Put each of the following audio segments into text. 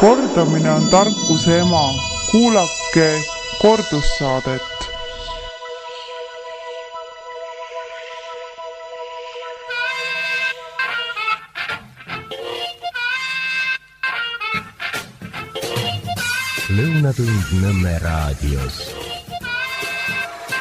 Kordamine on tarkuse ema. Kuulake kordussaadet. Lõunatund Nõmme raadios.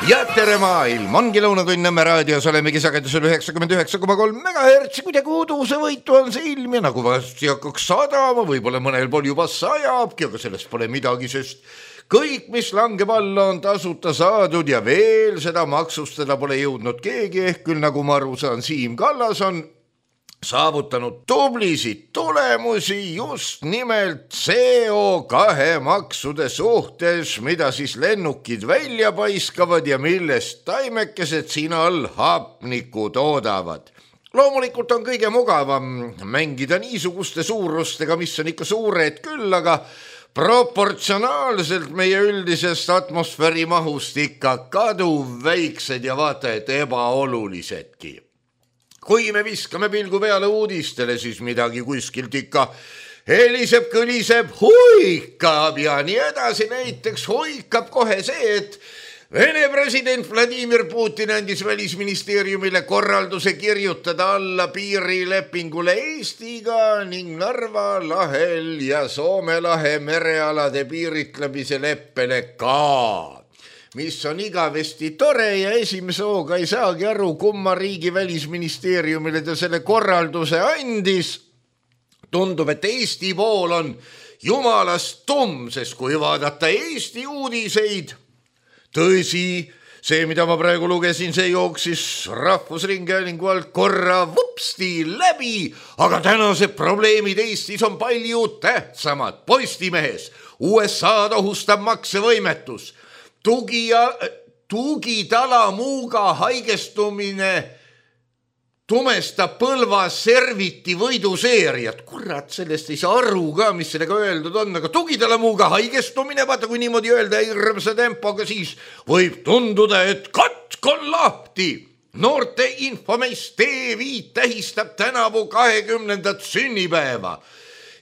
Ja tere maailm, ongi Lõunatund Nõmme raadios, olemegi sagedusel 99,3 MHz, kuidagi uduse võitu on see ilm ja nagu vasti hakkaks sadama, võib-olla mõnel pool juba sajabki, aga sellest pole midagi, sest kõik, mis langeb alla, on tasuta saadud ja veel seda maksustada pole jõudnud keegi, ehk küll nagu ma aru saan, Siim Kallas on saavutanud tublisid tulemusi just nimelt CO2 maksude suhtes, mida siis lennukid välja paiskavad ja millest taimekesed siin all hapnikku toodavad. Loomulikult on kõige mugavam mängida niisuguste suurustega, mis on ikka suured küll, aga proportsionaalselt meie üldisest atmosfääri mahust ikka kaduv väiksed ja vaata et ebaolulisedki. Kui me viskame pilgu peale uudistele, siis midagi kuskilt ikka heliseb, kõliseb, huikab ja nii edasi. Näiteks huikab kohe see, et Vene president Vladimir Putin andis välisministeeriumile korralduse kirjutada alla piirilepingule Eestiga ning Narva lahel ja Soome lahe merealade piiritlemise leppele ka, mis on igavesti tore ja esimese hooga ei saagi aru, kumma riigi välisministeeriumile ta selle korralduse andis. Tundub, et Eesti pool on jumalast tumm, sest kui vaadata Eesti uudiseid, tõsi, see, mida ma praegu lugesin, see jooksis Rahvusringhäälingu alt korra vupsti läbi, aga tänased probleemid Eestis on palju tähtsamad. Postimehes USA ohustab maksevõimetus. Tugitalamuuga haigestumine tumestab Põlva serviti võiduseeriat. Kurat, sellest ei saa aru ka, mis sellega öeldud on, aga tugitalamuuga haigestumine, vaata kui niimoodi öelda hirmsa tempoga, siis võib tunduda, et katk on lahti. Noorte infomees TV tähistab tänavu 20. sünnipäeva.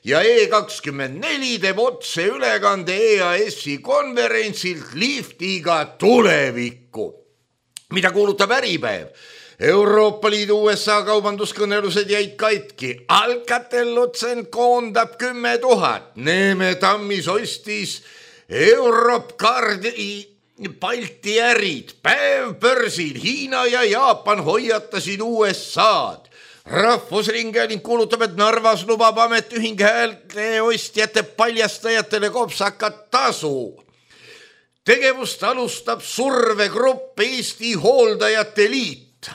Ja E24 teeb otse ülekande EAS-i konverentsilt liftiga tulevikku. Mida kuulutab Äripäev? Euroopa Liidu USA kaubanduskõnelused jäid katki. Alcatel-Lucent koondab 10 000. Neeme Tammis ostis Europcardi Balti ärid. Päev börsil Hiina ja Jaapan hoiatasid USA-d. Rahvusringhääling kuulutab, et Narvas lubab ametiühing häälte ostjate paljastajatele kopsakat tasu. Tegevust alustab survegrupp Eesti Hooldajate Liit.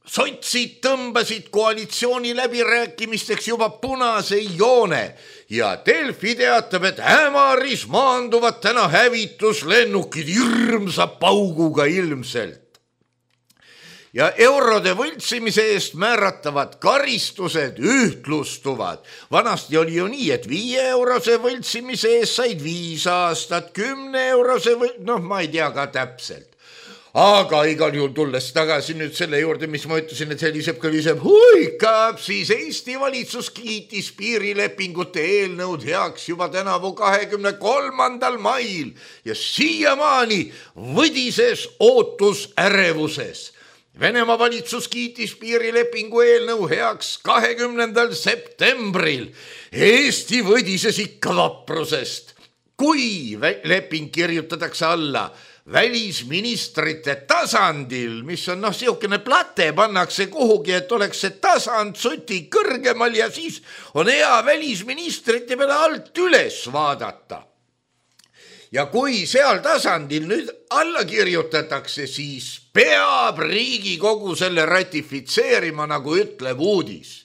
Sotsid tõmbasid koalitsiooni läbirääkimisteks juba punase joone ja Delfi teatab, et Ämaris maanduvad täna hävituslennukid hirmsa pauguga ilmselt. Ja eurode võltsimise eest määratavad karistused ühtlustuvad. Vanasti oli ju nii, et 5 eurose võltsimise eest said 5 aastat, 10 eurose ma ei tea ka täpselt. Aga igal juhul tulles tagasi nüüd selle juurde, mis ma ütlesin, et heliseb, kõliseb, huikab, siis Eesti valitsus kiitis piirilepingute eelnõud heaks juba tänavu 23. mail ja siiamaani võdises ootus ärevuses. Venemaa valitsus kiitis piirilepingu eelnõu heaks 20. septembril. Eesti võdises ikka vaprusest. Kui leping kirjutatakse alla välisministrite tasandil, mis on siukene plate, pannakse kuhugi, et oleks see tasand suti kõrgemal ja siis on hea välisministrite peale alt üles vaadata. Ja kui seal tasandil nüüd alla kirjutatakse, siis peab Riigikogu selle ratifitseerima, nagu ütleb uudis.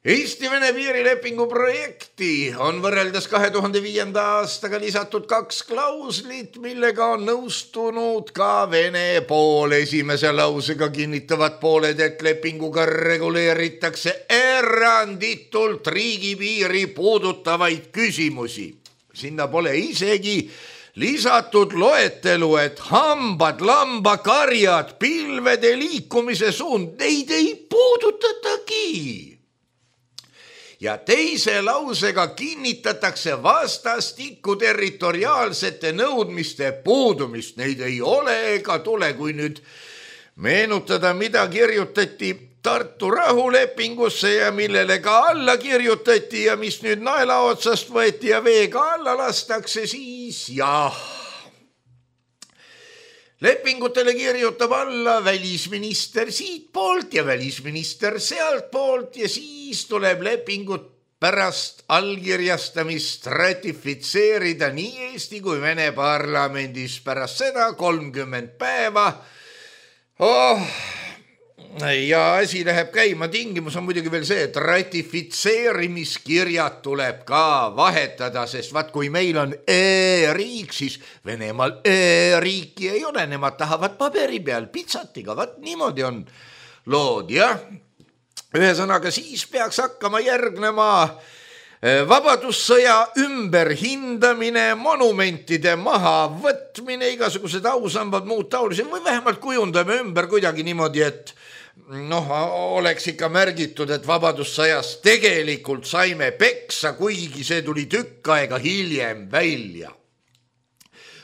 Eesti-Vene piirilepingu projekti on võrreldes 2005. aastaga lisatud 2 klauslit, millega on nõustunud ka Vene pool. Esimese lausega kinnitavad pooled, et lepinguga reguleeritakse eranditult riigipiiri puudutavaid küsimusi. Sinna pole isegi lisatud loetelu, et hambad, lambakarjad, pilvede liikumise suund, neid ei puudutatagi. ja teise lausega kinnitatakse vastastikku territoriaalsete nõudmiste puudumist. Neid ei ole ega tule, kui nüüd meenutada, mida kirjutati Tartu rahulepingusse ja millele ka alla kirjutati ja mis nüüd naela otsast võeti ja veega alla lastakse, siis jah. Lepingutele kirjutab alla välisminister siit poolt ja välisminister sealt poolt ja siis tuleb lepingut pärast allkirjastamist ratifitseerida nii Eesti kui Vene parlamendis pärast seda 30 päeva. Ja asi läheb käima, tingimus on muidugi veel see, et ratifitseerimiskirjad tuleb ka vahetada, sest vaat kui meil on e-riik, siis Venemaal e-riiki ei ole, nemad tahavad paberi peal pitsatiga, vaat niimoodi on lood, jah. Ühesõnaga, siis peaks hakkama järgnema vabadussõja ümberhindamine, monumentide mahavõtmine, igasugused ausambad, muud taolised või vähemalt kujundame ümber kuidagi niimoodi, et oleks ikka märgitud, et vabadussõjas tegelikult saime peksa, kuigi see tuli tükk aega hiljem välja.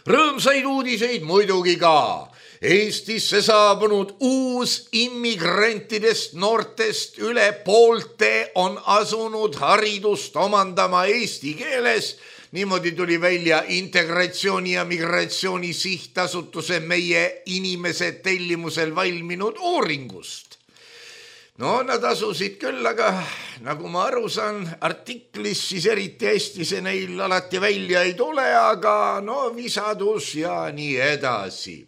Rõõmsaid uudiseid muidugi ka. Eestisse saabunud uus immigrantidest noortest üle poolte on asunud haridust omandama eesti keeles. Niimoodi tuli välja Integratsiooni ja Migratsiooni Sihtasutuse meie inimesed tellimusel valminud uuringust. Nad asusid küll, aga nagu ma aru saan, artiklis siis eriti hästi see neil alati välja ei tule, aga visadus ja nii edasi.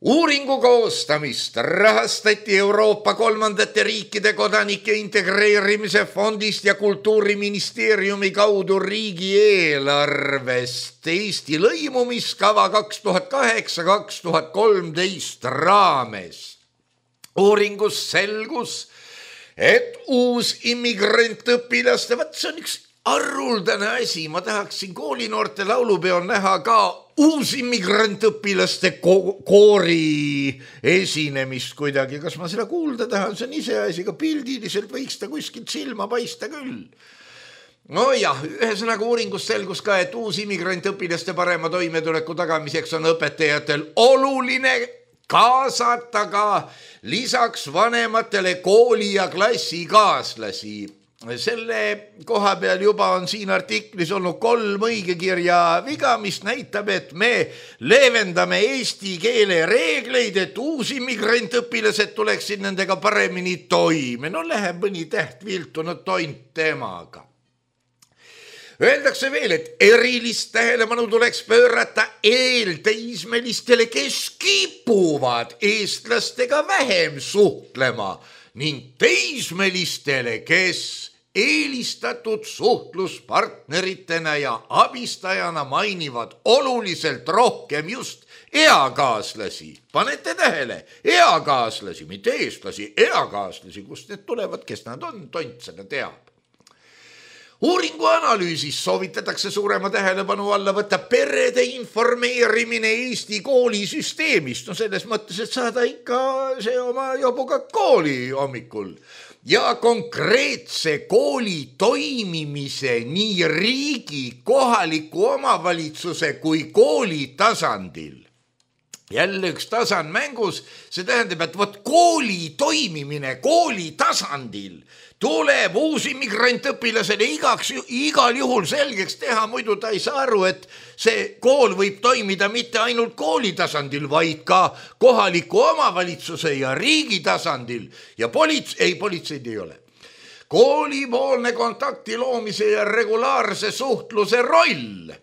Uuringu koostamist rahastati Euroopa kolmandate riikide kodanike integreerimise fondist ja Kultuuriministeeriumi kaudu riigieelarvest Eesti lõimumiskava 2008-2013 raames. Uuringus selgus, et uus immigrantõpilaste, see on üks arruldane asi, ma tahaksin koolinoorte laulupeol näha ka uus immigrantõpilaste koori esinemist kuidagi. Kas ma seda kuulda tahan, see on ise asi, ka pildiliselt võiks ta kuskilt silma paista küll. Ühesõnaga uuringus selgus ka, et uus immigrantõpilaste parema toimetuleku tagamiseks on õpetajatel oluline kaasata ka lisaks vanematele kooli- ja klassikaaslasi. Selle koha peal juba on siin artiklis olnud 3 õigekirja viga, mis näitab, et me leevendame eesti keele reegleid, et uusi immigrantõpilased tuleksid nendega paremini toime. Läheb mõni täht viltunud tont temaga. Öeldakse veel, et erilist tähelepanu tuleks pöörata eelteismelistele, kes kipuvad eestlastega vähem suhtlema ning teismelistele, kes eelistatud suhtluspartneritena ja abistajana mainivad oluliselt rohkem just eakaaslasi. Panete tähele, eakaaslasi, mitte eestlasi, eakaaslasi, kust need tulevad, kes nad on, tont seda teab. Uuringu analüüsis soovitatakse suurema tähelepanu alla võtta perede informeerimine Eesti koolisüsteemist. Selles mõttes, et saada ikka see oma jobuga kooli hommikul. Ja konkreetse kooli toimimise nii riigi, kohaliku omavalitsuse kui kooli tasandil. Jälle üks tasand mängus, see tähendab, et kooli toimimine kooli tasandil tuleb uus immigrantõpilasele igal juhul selgeks teha, muidu ta ei saa aru, et see kool võib toimida mitte ainult kooli tasandil, vaid ka kohaliku omavalitsuse ja riigi tasandil ja politseid ei ole. Koolipoolne kontakti loomise ja regulaarse suhtluse roll.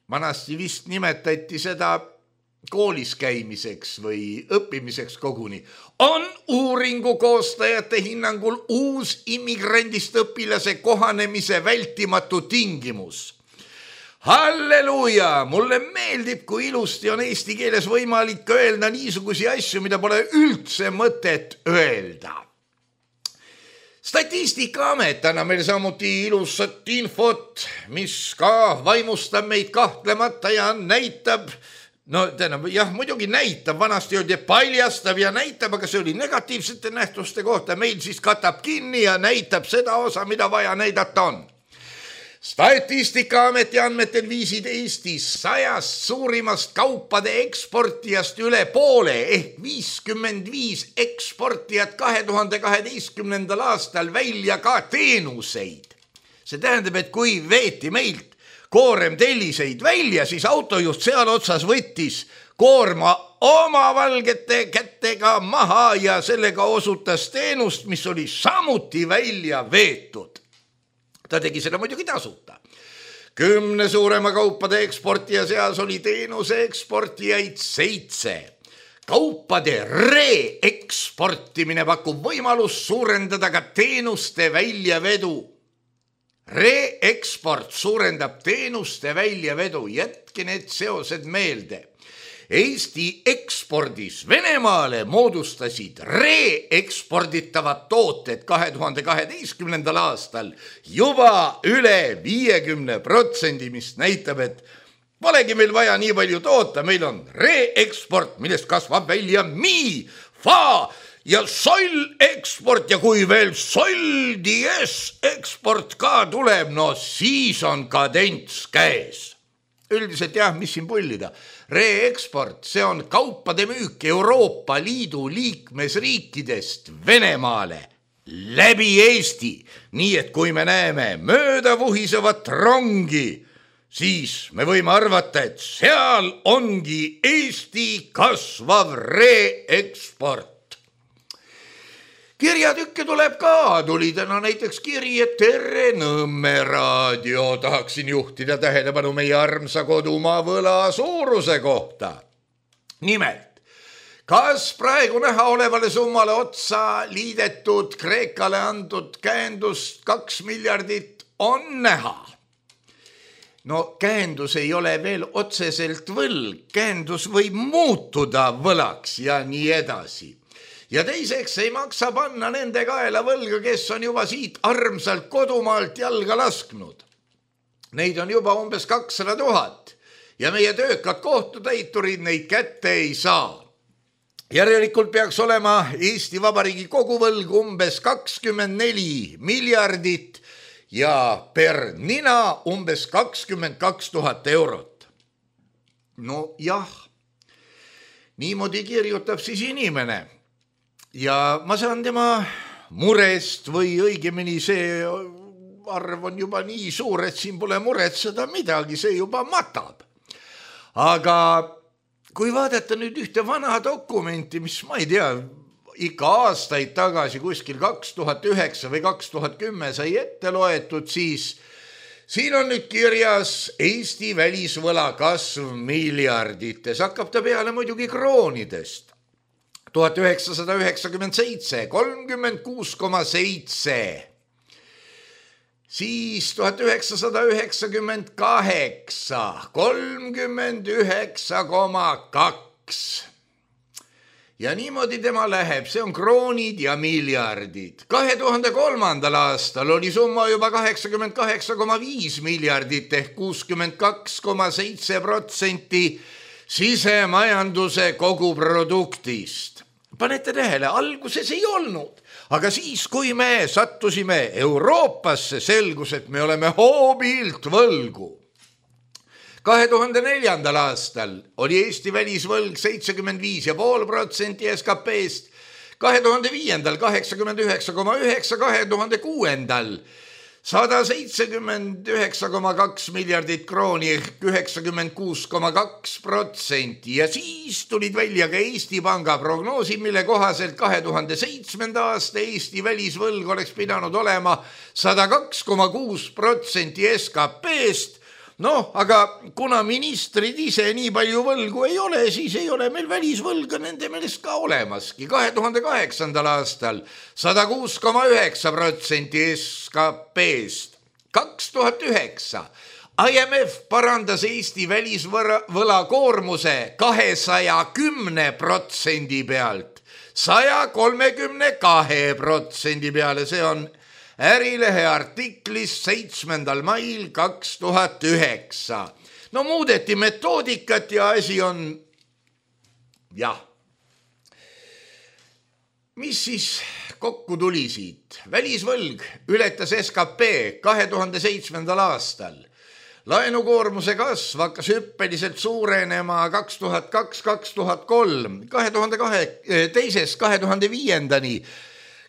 Vanasti vist nimetati seda koolis käimiseks või õppimiseks koguni, on uuringu koostajate hinnangul uus immigrandist õpilase kohanemise vältimatu tingimus. Halleluuja! Mulle meeldib, kui ilusti on eesti keeles võimalik öelda niisugusi asju, mida pole üldse mõtet öelda. Statistikaamet annab meil samuti ilusat infot, mis ka vaimustab meid kahtlemata ja näitab no tähendab, jah, muidugi näitab, vanasti öeldi paljastab ja näitab, aga see oli negatiivsete nähtuste kohta, meil siis katab kinni ja näitab seda osa, mida vaja näidata on. Statistikaameti andmetel viisid Eestis 100 suurimast kaupade eksportijast üle poole ehk 55 eksportijat 2012. aastal välja ka teenuseid. See tähendab, et kui veeti meilt koorem telliseid välja, siis autojuht seal otsas võttis koorma oma valgete kätega maha ja sellega osutas teenust, mis oli samuti välja veetud. Ta tegi seda muidugi tasuta. 10 suurema kaupade eksportija seas oli teenuse eksportijaid 7. Kaupade reeksportimine pakub võimalus suurendada ka teenuste väljavedu. Reeksport suurendab teenuste väljavedu, jätke need seosed meelde. Eesti ekspordis Venemaale moodustasid reeksporditavad tooted 2012. aastal juba üle 50%, mis näitab, et polegi meil vaja nii palju toota, meil on reeksport, millest kasvab välja fa ja soll eksport ja kui veel soll dies eksport ka tuleb, no siis on kadents käes. Üldiselt jah, mis siin pullida. Reeksport, see on kaupade müük Euroopa Liidu liikmesriikidest Venemaale läbi Eesti. Nii et kui me näeme mööda vuhisevat rongi, siis me võime arvata, et seal ongi Eesti kasvav reeksport. Kirjatükke tuleb ka, tuli täna näiteks kiri, et Tere Nõmme raadio, tahaksin juhtida tähelepanu meie armsa kodumaa võla suuruse kohta. Nimelt, kas praegu näha olevale summale otsa liidetud Kreekale antud käendust 2 miljardit on näha? No käendus ei ole veel otseselt võlg, käendus võib muutuda võlaks ja nii edasi. Ja teiseks ei maksa panna nende kaela võlga, kes on juba siit armsalt kodumaalt jalga lasknud. Neid on juba umbes 200 000 ja meie töökad kohtutäiturid neid kätte ei saa. Järelikult peaks olema Eesti Vabariigi koguvõlg umbes 24 miljardit ja per nina umbes 22 000 eurot. No jah, niimoodi kirjutab siis inimene. Ja ma saan tema murest või õigemini see arv on juba nii suur, et siin pole muretseda midagi, see juba matab. Aga kui vaadata nüüd ühte vana dokumenti, mis ma ei tea, ikka aastaid tagasi kuskil 2009 või 2010 sai ette loetud, siis siin on nüüd kirjas Eesti välisvõla kasv miljardites, hakkab ta peale muidugi kroonidest. 1997, 36,7, siis 1998, 39,2 ja niimoodi tema läheb, see on kroonid ja miljardid. 2003. aastal oli summa juba 88,5 miljardit ehk 62,7% sisemajanduse koguproduktist. Panete tähele, alguses ei olnud, aga siis, kui me sattusime Euroopasse, selgus, et me oleme hoobilt võlgu. 2004. aastal oli Eesti välisvõlg 75,5% SKP-st, 2005. 89,9%, 2006. 179,2 miljardit krooni ehk 96,2% ja siis tulid välja ka Eesti Panga prognoosi, mille kohaselt 2007. aasta Eesti välisvõlg oleks pidanud olema 102,6% SKP-st. No, aga kuna ministrid ise nii palju võlgu ei ole, siis ei ole meil välisvõlga nende meelest ka olemaski. 2008. aastal 106,9% SKP-st. 2009 IMF parandas Eesti välisvõla koormuse 210% pealt 132% peale, see on Ärilehe artiklis 7. mail 2009. no muudeti metoodikat ja asi on jah. Mis siis kokku tuli siit? Välisvõlg ületas SKP 2007. aastal. Laenukoormuse kasv hakkas hüppeliselt suurenema 2002-2003, 2005.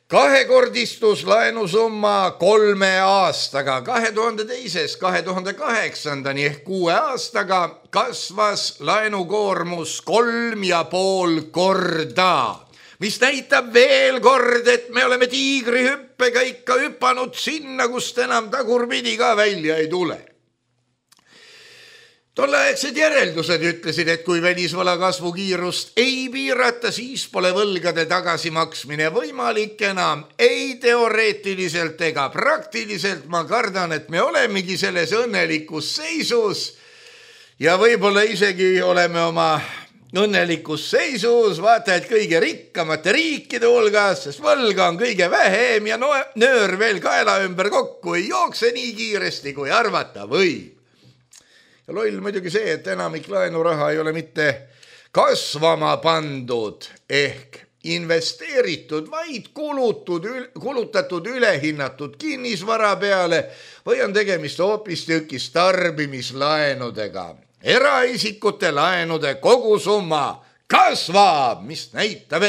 Kahekordistus laenusumma 3 aastaga, 2002-2008 ehk 6 aastaga kasvas laenukoormus 3,5 korda. Mis näitab veel kord, et me oleme tiigrihüppega ikka hüpanud sinna, kust enam tagurpidi ka välja ei tule. Tolleaegsed järeldused ütlesid, et kui välisvõla kasvu kiirust ei piirata, siis pole võlgade tagasimaksmine võimalik enam, ei teoreetiliselt ega praktiliselt. Ma kardan, et me olemegi selles õnnelikus seisus ja võib-olla isegi oleme oma õnnelikus seisus, vaata, et kõige rikkamate riikide hulgas, sest võlga on kõige vähem ja nöör veel kaela ümber kokku ei jookse nii kiiresti, kui arvata võib. Ja loll muidugi see, et enamik laenuraha ei ole mitte kasvama pandud ehk investeeritud, vaid kulutatud ülehinnatud kinnisvara peale või on tegemist hoopistükkis tarbimislaenudega. Eraisikute laenude kogusumma kasvab, mis näitab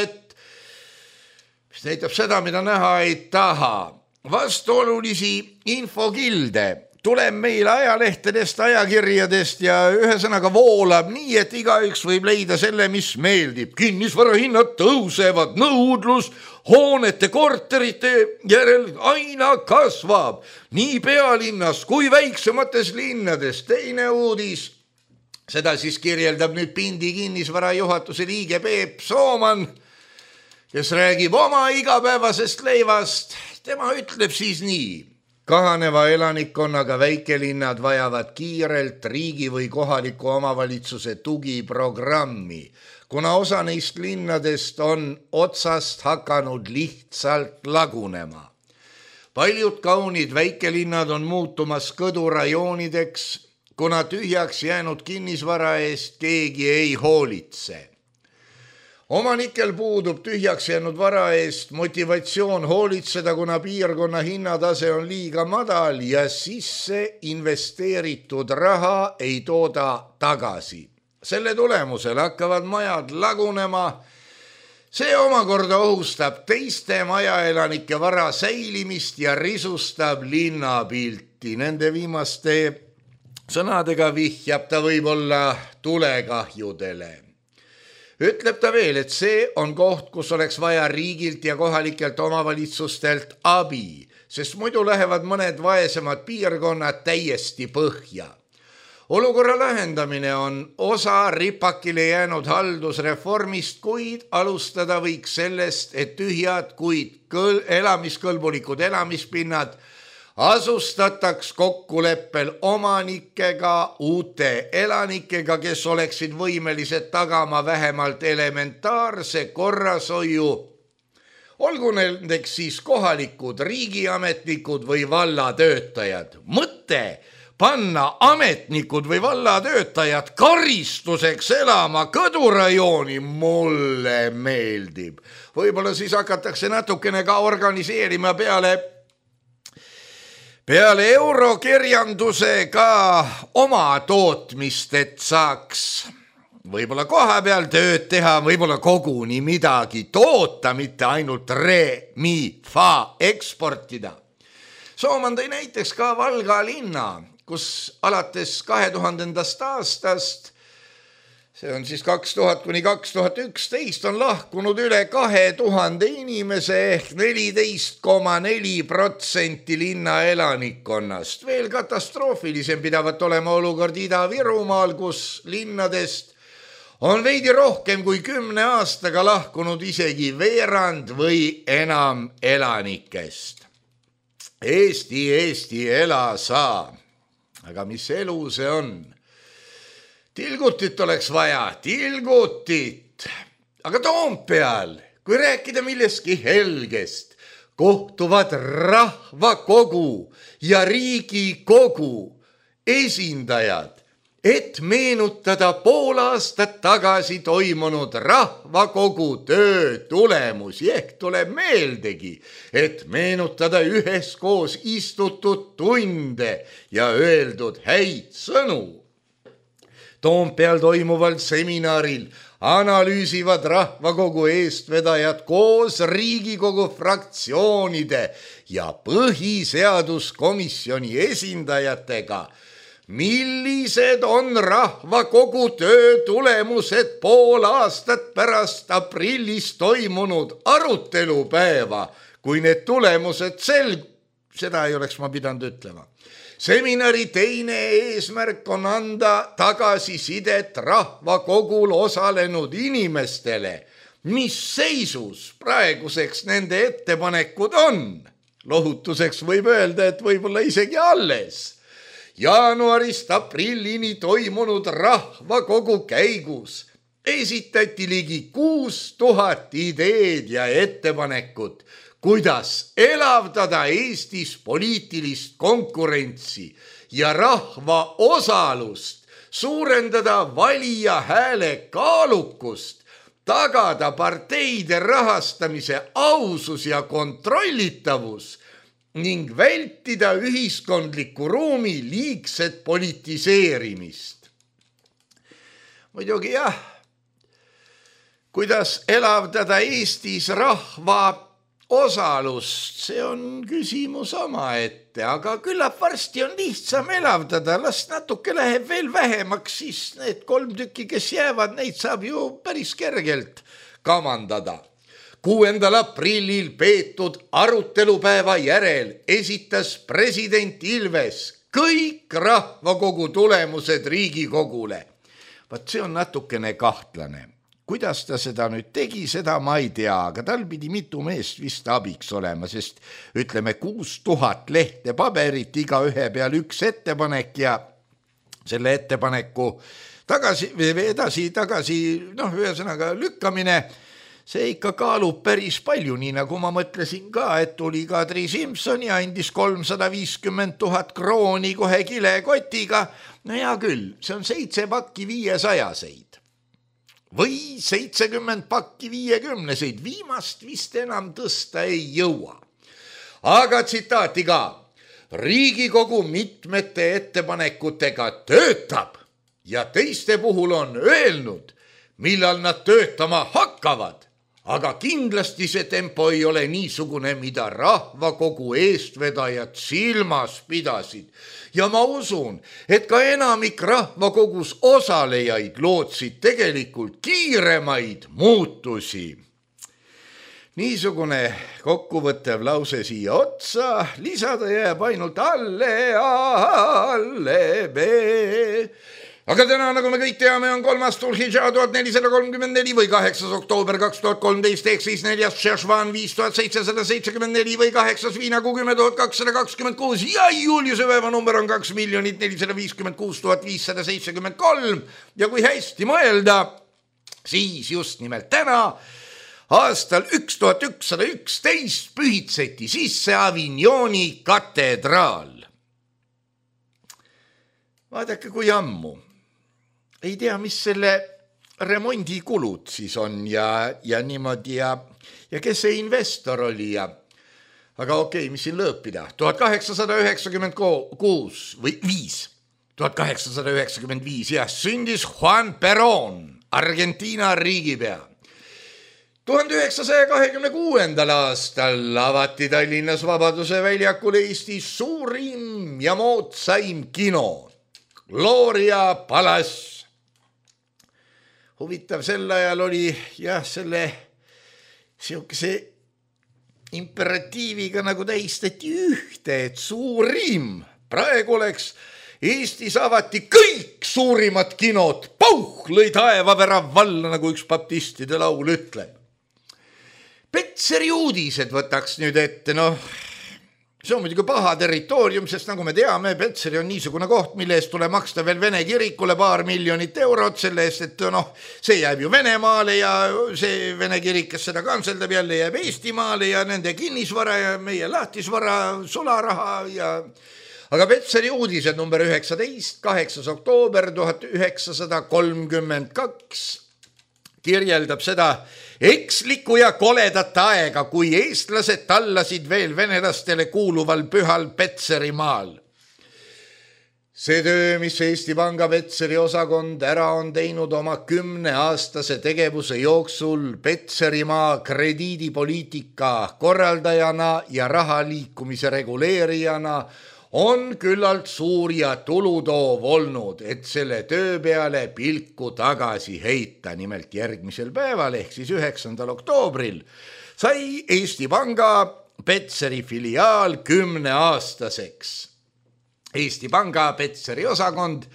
seda, mida näha ei taha. Vastuolulisi infokilde tuleb meil ajalehtedest, ajakirjadest ja ühesõnaga voolab nii, et igaüks võib leida selle, mis meeldib. Kinnisvarahinnad tõusevad, nõudlus hoonete, korterite järel aina kasvab. Nii pealinnas kui väiksemates linnades. Teine uudis, seda siis kirjeldab nüüd Pindi kinnisvara juhatuse liige Peep Sooman, kes räägib oma igapäevasest leivast. Tema ütleb siis nii. Kahaneva elanikkonnaga väikelinnad vajavad kiirelt riigi või kohaliku omavalitsuse tugiprogrammi, kuna osa neist linnadest on otsast hakanud lihtsalt lagunema. Paljud kaunid väikelinnad on muutumas kõdurajoonideks, kuna tühjaks jäänud kinnisvara eest keegi ei hoolitse. Omanikel puudub tühjaks jäänud vara eest motivatsioon hoolitseda, kuna piirkonna hinnatase on liiga madal ja sisse investeeritud raha ei tooda tagasi. Selle tulemusel hakkavad majad lagunema. See omakorda ohustab teiste majaelanike vara säilimist ja risustab linnapilti. Nende viimaste sõnadega vihjab ta võib-olla tulekahjudele. Ütleb ta veel, et see on koht, kus oleks vaja riigilt ja kohalikelt omavalitsustelt abi, sest muidu lähevad mõned vaesemad piirkonnad täiesti põhja. Olukorra lahendamine on osa ripakile jäänud haldusreformist, kuid alustada võiks sellest, et tühjad, kuid elamiskõlbulikud elamispinnad asustataks kokkuleppel omanikega, uute elanikega, kes oleksid võimelised tagama vähemalt elementaarse korrashoiu. Olgu nendeks siis kohalikud riigiametnikud või vallatöötajad. Mõte panna ametnikud või vallatöötajad karistuseks elama kõdurajooni mulle meeldib. Võib-olla siis hakatakse natukene ka organiseerima peale eurokirjanduse ka oma tootmist, et saaks võib-olla koha peal tööd teha, võib-olla koguni midagi toota, mitte ainult re-mi-fa eksportida. Sooman tõi näiteks ka Valga linna, kus alates 2000. aastast, see on siis 2000–2011, on lahkunud üle 2000 inimese ehk 14,4% linna elanikkonnast. Veel katastroofilisem pidavat olema olukord Ida-Virumaal, kus linnadest on veidi rohkem kui 10 aastaga lahkunud isegi veerand või enam elanikest. Eesti, ela sa. Aga mis elu see on? Tilgutit oleks vaja, tilgutit. Aga Toompeal, kui rääkida millestki helgest, kohtuvad rahvakogu ja Riigikogu esindajad et meenutada pool aastat tagasi toimunud rahvakogu töö tulemusi, ehk tuleb meeldegi, et meenutada üheskoos istutud tunde ja öeldud häid sõnu. Toompeal toimuval seminaril analüüsivad rahvakogu eestvedajad koos Riigikogu fraktsioonide ja põhiseaduskomisjoni esindajatega, millised on rahvakogu töö tulemused pool aastat pärast aprillis toimunud arutelupäeva, kui need tulemused seda ei oleks ma pidanud ütlema. Seminari teine eesmärk on anda tagasisidet rahvakogul osalenud inimestele, mis seisus praeguseks nende ettepanekud on. Lohutuseks võib öelda, et võib-olla isegi alles. Jaanuarist aprillini toimunud rahvakogu käigus esitati ligi 6000 ideed ja ettepanekut, kuidas elavdada Eestis poliitilist konkurentsi ja rahva osalust, suurendada valija hääle kaalukust, tagada parteide rahastamise ausus ja kontrollitavus ning vältida ühiskondliku ruumi liigset politiseerimist. Muidugi jah, kuidas elavdada Eestis rahva osalust, see on küsimus omaette, aga küllap varsti on lihtsam elavdada, las natuke läheb veel vähemaks, siis need 3 tükki, kes jäävad, neid saab ju päris kergelt kamandada. 6. aprillil peetud arutelupäeva järel esitas president Ilves kõik rahvakogu tulemused Riigikogule. Vaat see on natukene kahtlane. Kuidas ta seda nüüd tegi, seda ma ei tea, aga tal pidi mitu meest vist abiks olema, sest ütleme 6000 lehte paberit, iga ühe peal üks ettepanek ja selle ettepaneku edasi, ühesõnaga lükkamine, see ikka kaalub päris palju, nii nagu ma mõtlesin ka, et tuli Kadri Simson ja andis 350 000 krooni kohe kilekotiga. No hea küll, see on 7 pakki 500-seid. Või 70 pakki 50-seid, viimast vist enam tõsta ei jõua. Aga tsitaati ka, Riigikogu mitmete ettepanekutega töötab ja teiste puhul on öelnud, millal nad töötama hakkavad, aga kindlasti see tempo ei ole niisugune, mida rahvakogu eestvedajad silmas pidasid. Ja ma usun, et ka enamik rahvakogus osalejaid lootsid tegelikult kiiremaid muutusi. Niisugune kokkuvõttev lause siia otsa, lisada jääb ainult alle B. Aga täna, nagu me kõik teame, on 3. Tulhidža 1434 või 8. oktoober 2013 ehk siis 4. Šešvan 5774 või 8. Viinaku 10226 ja Juliuse päeva number on 2 456 573 ja kui hästi mõelda, siis just nimelt täna aastal 1111 pühitseti sisse Avignoni katedraal. Vaadake, kui ammu. Ei tea, mis selle remondikulud siis on ja niimoodi ja kes see investor oli ja aga okei, mis siin lõõpida? 1896 või 1895 ja sündis Juan Perón, Argentiina riigipea. 1926. aastal avati Tallinnas Vabaduse väljakul Eestis suurim ja moodsaim kino, Gloria Palace. Huvitav, sel ajal oli selle siukese imperatiiviga nagu tähistati ühte, et suurim. Praegu oleks Eestis avati kõik suurimad kinod, pauh, lõi taevavärav valla, nagu üks baptistide laul ütleb. Petseri uudised võtaks nüüd ette, see on muidugi paha territoorium, sest nagu me teame, Petseri on niisugune koht, mille eest tuleb maksta veel Vene kirikule 2 miljonit eurot selle eest, et see jääb ju Venemaale ja see Vene kirik, kes seda kantseldab, jälle jääb Eestimaale ja nende kinnisvara ja meie lahtisvara, sularaha ja Aga Petseri uudised number 19, 8. oktoober 1932 kirjeldab seda ekslikku ja koledat aega, kui eestlased tallasid veel venelastele kuuluval pühal Petserimaal. See töö, mis Eesti Panga Petseri osakond ära on teinud oma 10-aastase tegevuse jooksul Petserimaa krediidipoliitika korraldajana ja rahaliikumise reguleerijana, on küllalt suur ja tulutoov olnud, et selle töö peale pilku tagasi heita. Nimelt järgmisel päeval ehk siis 9. oktoobril sai Eesti Panga Petseri filiaal 10-aastaseks. Eesti Panga Petseri osakond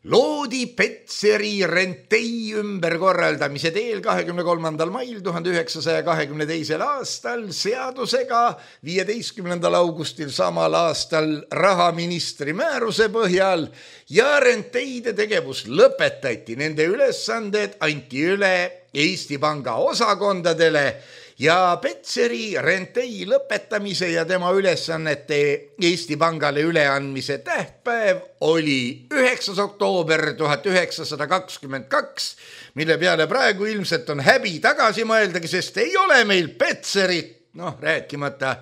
loodi Petseri rentei ümberkorraldamise teel 23. mail 1922. aastal seadusega 15. augustil samal aastal rahaministri määruse põhjal ja renteide tegevus lõpetati. Nende ülesanded anti üle Eesti Panga osakondadele ja Petseri rentei lõpetamise ja tema ülesannete Eesti Pangale üleandmise tähtpäev oli 9. oktoober 1922, mille peale praegu ilmselt on häbi tagasi mõeldagi, sest ei ole meil Petserit, rääkimata.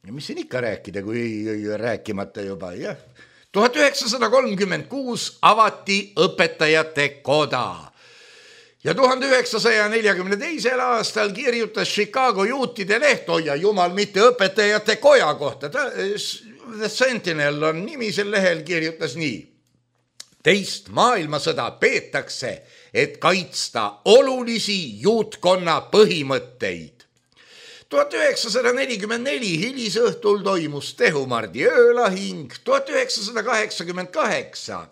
Ja mis siin ikka rääkida, kui rääkimata juba, jah. 1936 avati õpetajate koda. Ja 1942. aastal kirjutas Chicago juutide leht, ja jumal, mitte õpetajate koja kohta. The Sentinel on nimi, sel lehel kirjutas nii. Teist maailmasõda peetakse, et kaitsta olulisi juutkonna põhimõtteid. 1944 hilisõhtul toimus Tehumardi öölahing, 1988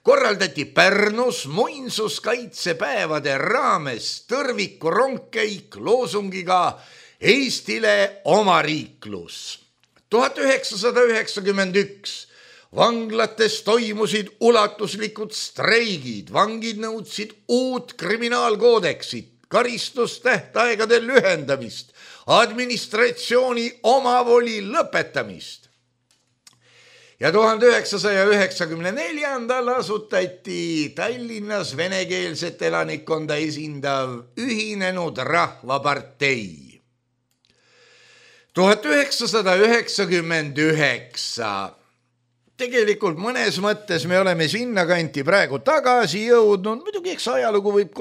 korraldati Pärnus muinsuskaitsepäevade raames tõrviku rongkäik loosungiga Eestile omariiklus. 1991 vanglates toimusid ulatuslikud streigid, vangid nõudsid uut kriminaalkoodeksit, karistustähtaegade lühendamist, administratsiooni omavoli lõpetamist. Ja 1994. asutati Tallinnas venekeelset elanikkonda esindav Ühinenud Rahvapartei. 1999. Tegelikult mõnes mõttes me oleme sinna kanti praegu tagasi jõudnud. Muidugi eks ajalugu võib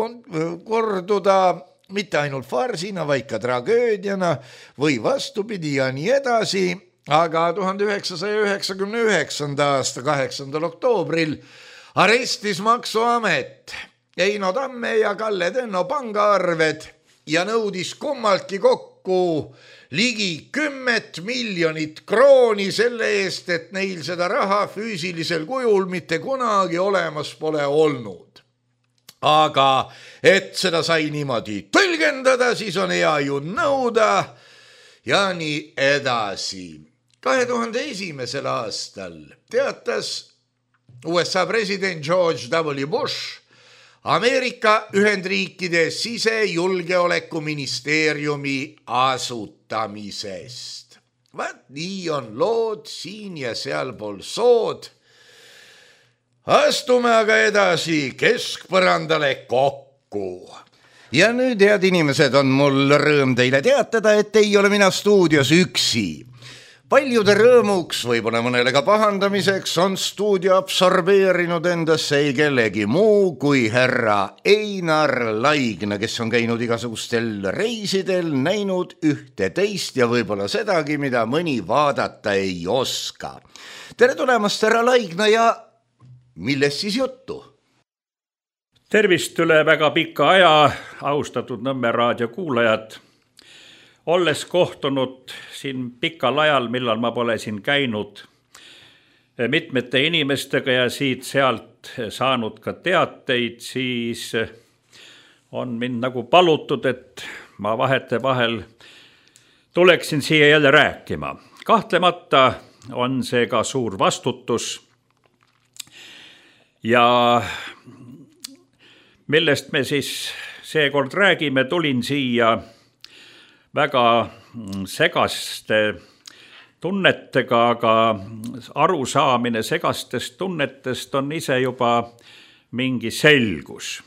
korduda mitte ainult farsina, vaid ka tragöödiana või vastupidi ja nii edasi. Aga 1999. aasta 8. oktoobril arestis Maksuamet Eino Tamme ja Kalle Tenno pangaarved ja nõudis kummaltki kokku ligi 10 miljonit krooni selle eest, et neil seda raha füüsilisel kujul mitte kunagi olemas pole olnud. Aga et seda sai niimoodi tõlgendada, siis on hea ju nõuda ja nii edasi. 2001. aastal teatas USA president George W. Bush Ameerika Ühendriikide sisejulgeolekuministeeriumi asutamisest. Vaat nii on lood siin ja sealpool sood. Astume aga edasi keskpõrandale kokku. Ja nüüd, head inimesed, on mul rõõm teile teatada, et ei ole mina stuudios üksi. Paljude rõõmuks, võib-olla mõnele ka pahandamiseks, on stuudio absorbeerinud endasse ei kellegi muu kui härra Einar Laigna, kes on käinud igasugustel reisidel, näinud ühte teist ja võib-olla sedagi, mida mõni vaadata ei oska. Tere tulemast, härra Laigna, ja millest siis juttu? Tervist üle väga pika aja, austatud Nõmme raadio kuulajad. Olles kohtunud siin pikal ajal, millal ma pole siin käinud mitmete inimestega ja siit-sealt saanud ka teateid, siis on mind nagu palutud, et ma vahetevahel tuleksin siia jälle rääkima. Kahtlemata on see ka suur vastutus ja millest me siis seekord räägime, tulin siia väga segaste tunnetega, aga arusaamine segastest tunnetest on ise juba mingi selgus.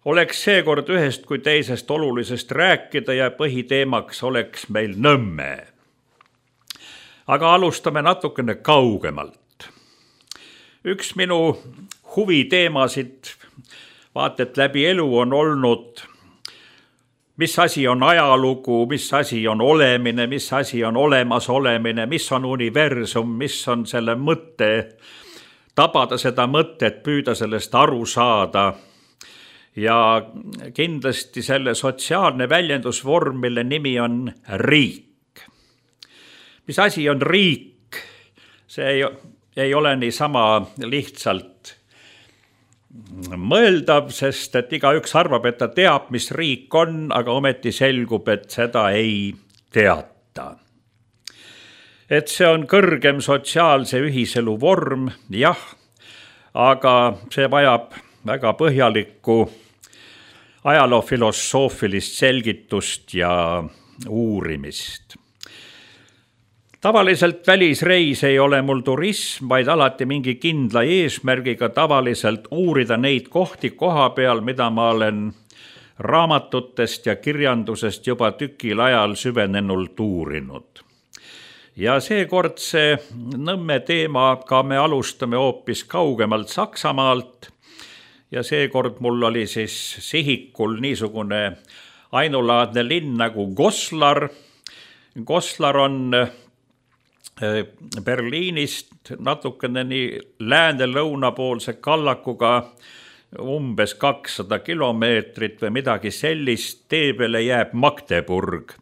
Oleks seekord ühest kui teisest olulisest rääkida ja põhiteemaks oleks meil Nõmme. Aga alustame natukene kaugemalt. Üks minu huviteemasid vaat et läbi elu on olnud, mis asi on ajalugu, mis asi on olemine, mis asi on olemasolemine, mis on universum, mis on selle mõte, tabada seda mõtet, püüda sellest aru saada. Ja kindlasti selle sotsiaalne väljendusvorm, mille nimi on riik. Mis asi on riik? See ei ole niisama lihtsalt mõeldav, sest et igaüks arvab, et ta teab, mis riik on, aga ometi selgub, et seda ei teata. Et see on kõrgem sotsiaalse ühiselu vorm, jah, aga see vajab väga põhjalikku ajaloofilosoofilist selgitust ja uurimist. Tavaliselt välisreis ei ole mul turism, vaid alati mingi kindla eesmärgiga tavaliselt uurida neid kohti koha peal, mida ma olen raamatutest ja kirjandusest juba tükil ajal süvenenult uurinud. Ja seekord see Nõmme teemaga me alustame hoopis kaugemalt Saksamaalt ja seekord mul oli siis sihikul niisugune ainulaadne linn nagu Goslar. Goslar on Berliinist natukene nii lääne-lõunapoolse kallakuga umbes 200 kilomeetrit või midagi sellist, tee peale jääb Magdeburg,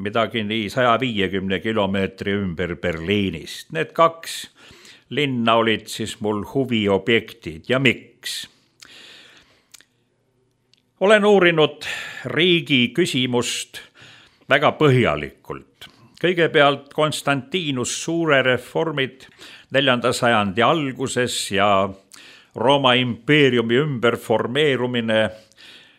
midagi nii 150 kilomeetri ümber Berliinist. Need kaks linna olid siis mul huviobjektid ja miks? Olen uurinud riigi küsimust väga põhjalikult. Kõigepealt Konstantinus Suure reformid 4. sajandi alguses ja Rooma impeeriumi ümberformeerumine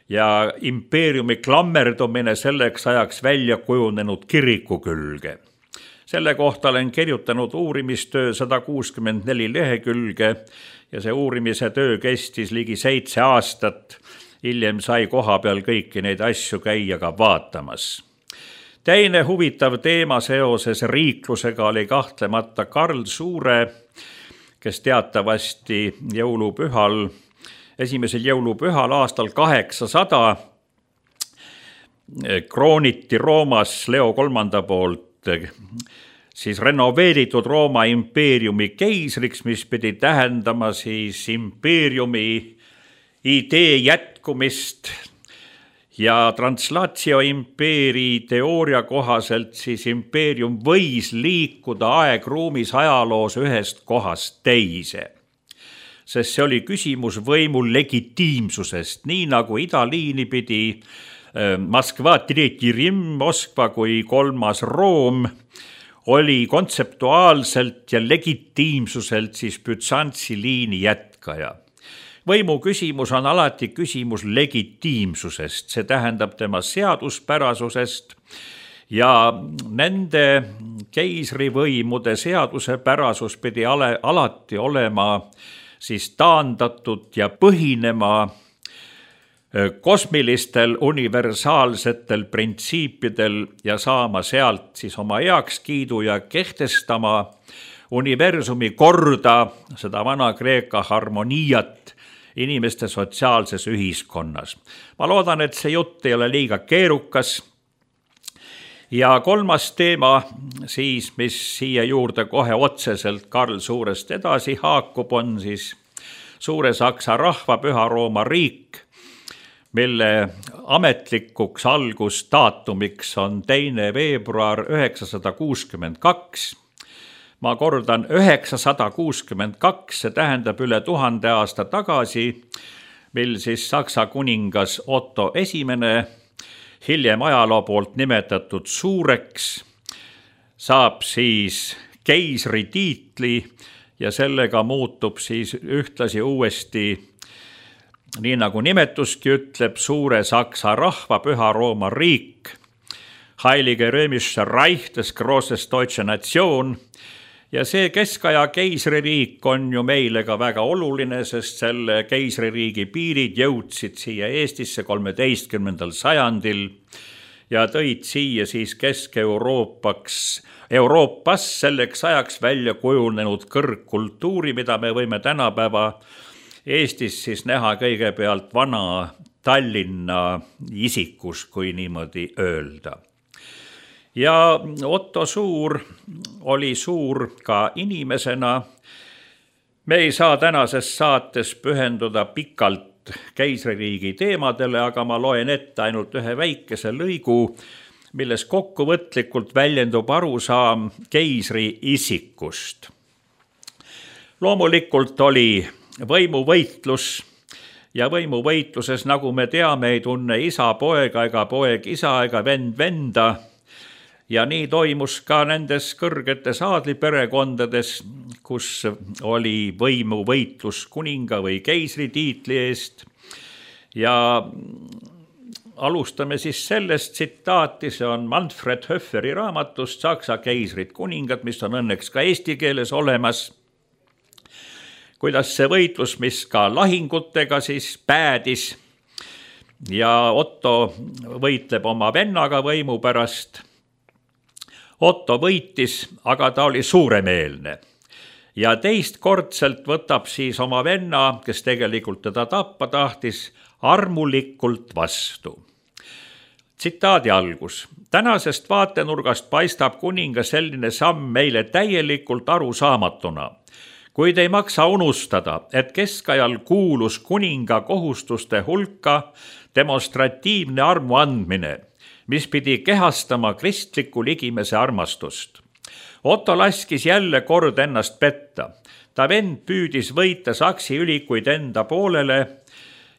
ja impeeriumi klammerdumine selleks ajaks välja kujunenud kiriku külge. Selle kohta olen kirjutanud uurimistöö 164 lehekülge ja see uurimise töö kestis ligi 7 aastat. Hiljem sai koha peal kõiki neid asju käia ka vaatamas. Teine huvitav teema seoses riiklusega oli kahtlemata Karl Suure, kes teatavasti esimesel jõulupühal aastal 800 krooniti Roomas Leo III poolt siis renoveeritud Rooma impeeriumi keisriks, mis pidi tähendama siis impeeriumi idee jätkumist. Ja translatio impeeri teooria kohaselt siis impeerium võis liikuda aegruumis ajaloos ühest kohast teise. Sest see oli küsimus võimu legitiimsusest, nii nagu idaliini pidi Moskva, Tretji Rimm, Moskva kui 3. Room oli kontseptuaalselt ja legitiimsuselt siis Bütsantsi liini jätkaja. Võimu küsimus on alati küsimus legitiimsusest, see tähendab tema seaduspärasusest ja nende keisrivõimude seadusepärasus pidi alati olema siis taandatud ja põhinema kosmilistel universaalsetel printsiipidel ja saama sealt siis oma heakskiidu ja kehtestama universumi korda, seda Vana-Kreeka harmoniat inimeste sotsiaalses ühiskonnas. Ma loodan, et see jutt ei ole liiga keerukas. Ja 3. teema siis, mis siia juurde kohe otseselt Karl Suurest edasi haakub, on siis Suure Saksa rahva Püha Rooma riik, mille ametlikuks algusdaatumiks on 2. veebruar 962. Ma kordan 962, see tähendab üle 1000 aasta tagasi, mil siis Saksa kuningas Otto I, hiljem ajaloo poolt nimetatud Suureks, saab siis keisri tiitli ja sellega muutub siis ühtlasi uuesti, nii nagu nimetuski ütleb, Suure Saksa rahva Püha Rooma riik Heilige Römische Reich des Grosses Deutsche Nation. Ja see keskaja keisririik on ju meile ka väga oluline, sest selle keisririigi piirid jõudsid siia Eestisse 13. sajandil ja tõid siia siis Euroopas selleks ajaks välja kujunenud kõrgkultuuri, mida me võime tänapäeva Eestis siis näha kõigepealt vana Tallinna isikus, kui niimoodi öelda. Ja Otto Suur oli suur ka inimesena. Me ei saa tänases saates pühenduda pikalt keisririigi teemadele, aga ma loen ette ainult ühe väikese lõigu, milles kokkuvõtlikult väljendub arusaam keisri isikust. Loomulikult oli võimuvõitlus ja võimuvõitluses, nagu me teame, ei tunne isa poega ega poeg isa ega vend venda. Ja nii toimus ka nendes kõrgetes aadliperekondades, kus oli võimuvõitlus kuninga või keisri tiitli eest. Ja alustame siis sellest tsitaati, see on Manfred Höfferi raamatust Saksa keisrid kuningad, mis on õnneks ka eesti keeles olemas. Kuidas see võitlus, mis ka lahingutega siis päädis ja Otto võitleb oma vennaga võimu pärast. Otto võitis, aga ta oli suuremeelne ja teistkordselt võtab siis oma venna, kes tegelikult teda tappa tahtis, armulikult vastu. Tsitaadi algus. Tänasest vaatenurgast paistab kuninga selline samm meile täielikult arusaamatuna, kuid ei maksa unustada, et keskajal kuulus kuninga kohustuste hulka demonstratiivne armu andmine, mis pidi kehastama kristliku ligimese armastust. Otto laskis jälle kord ennast petta. Ta vend püüdis võita saksi ülikuid enda poolele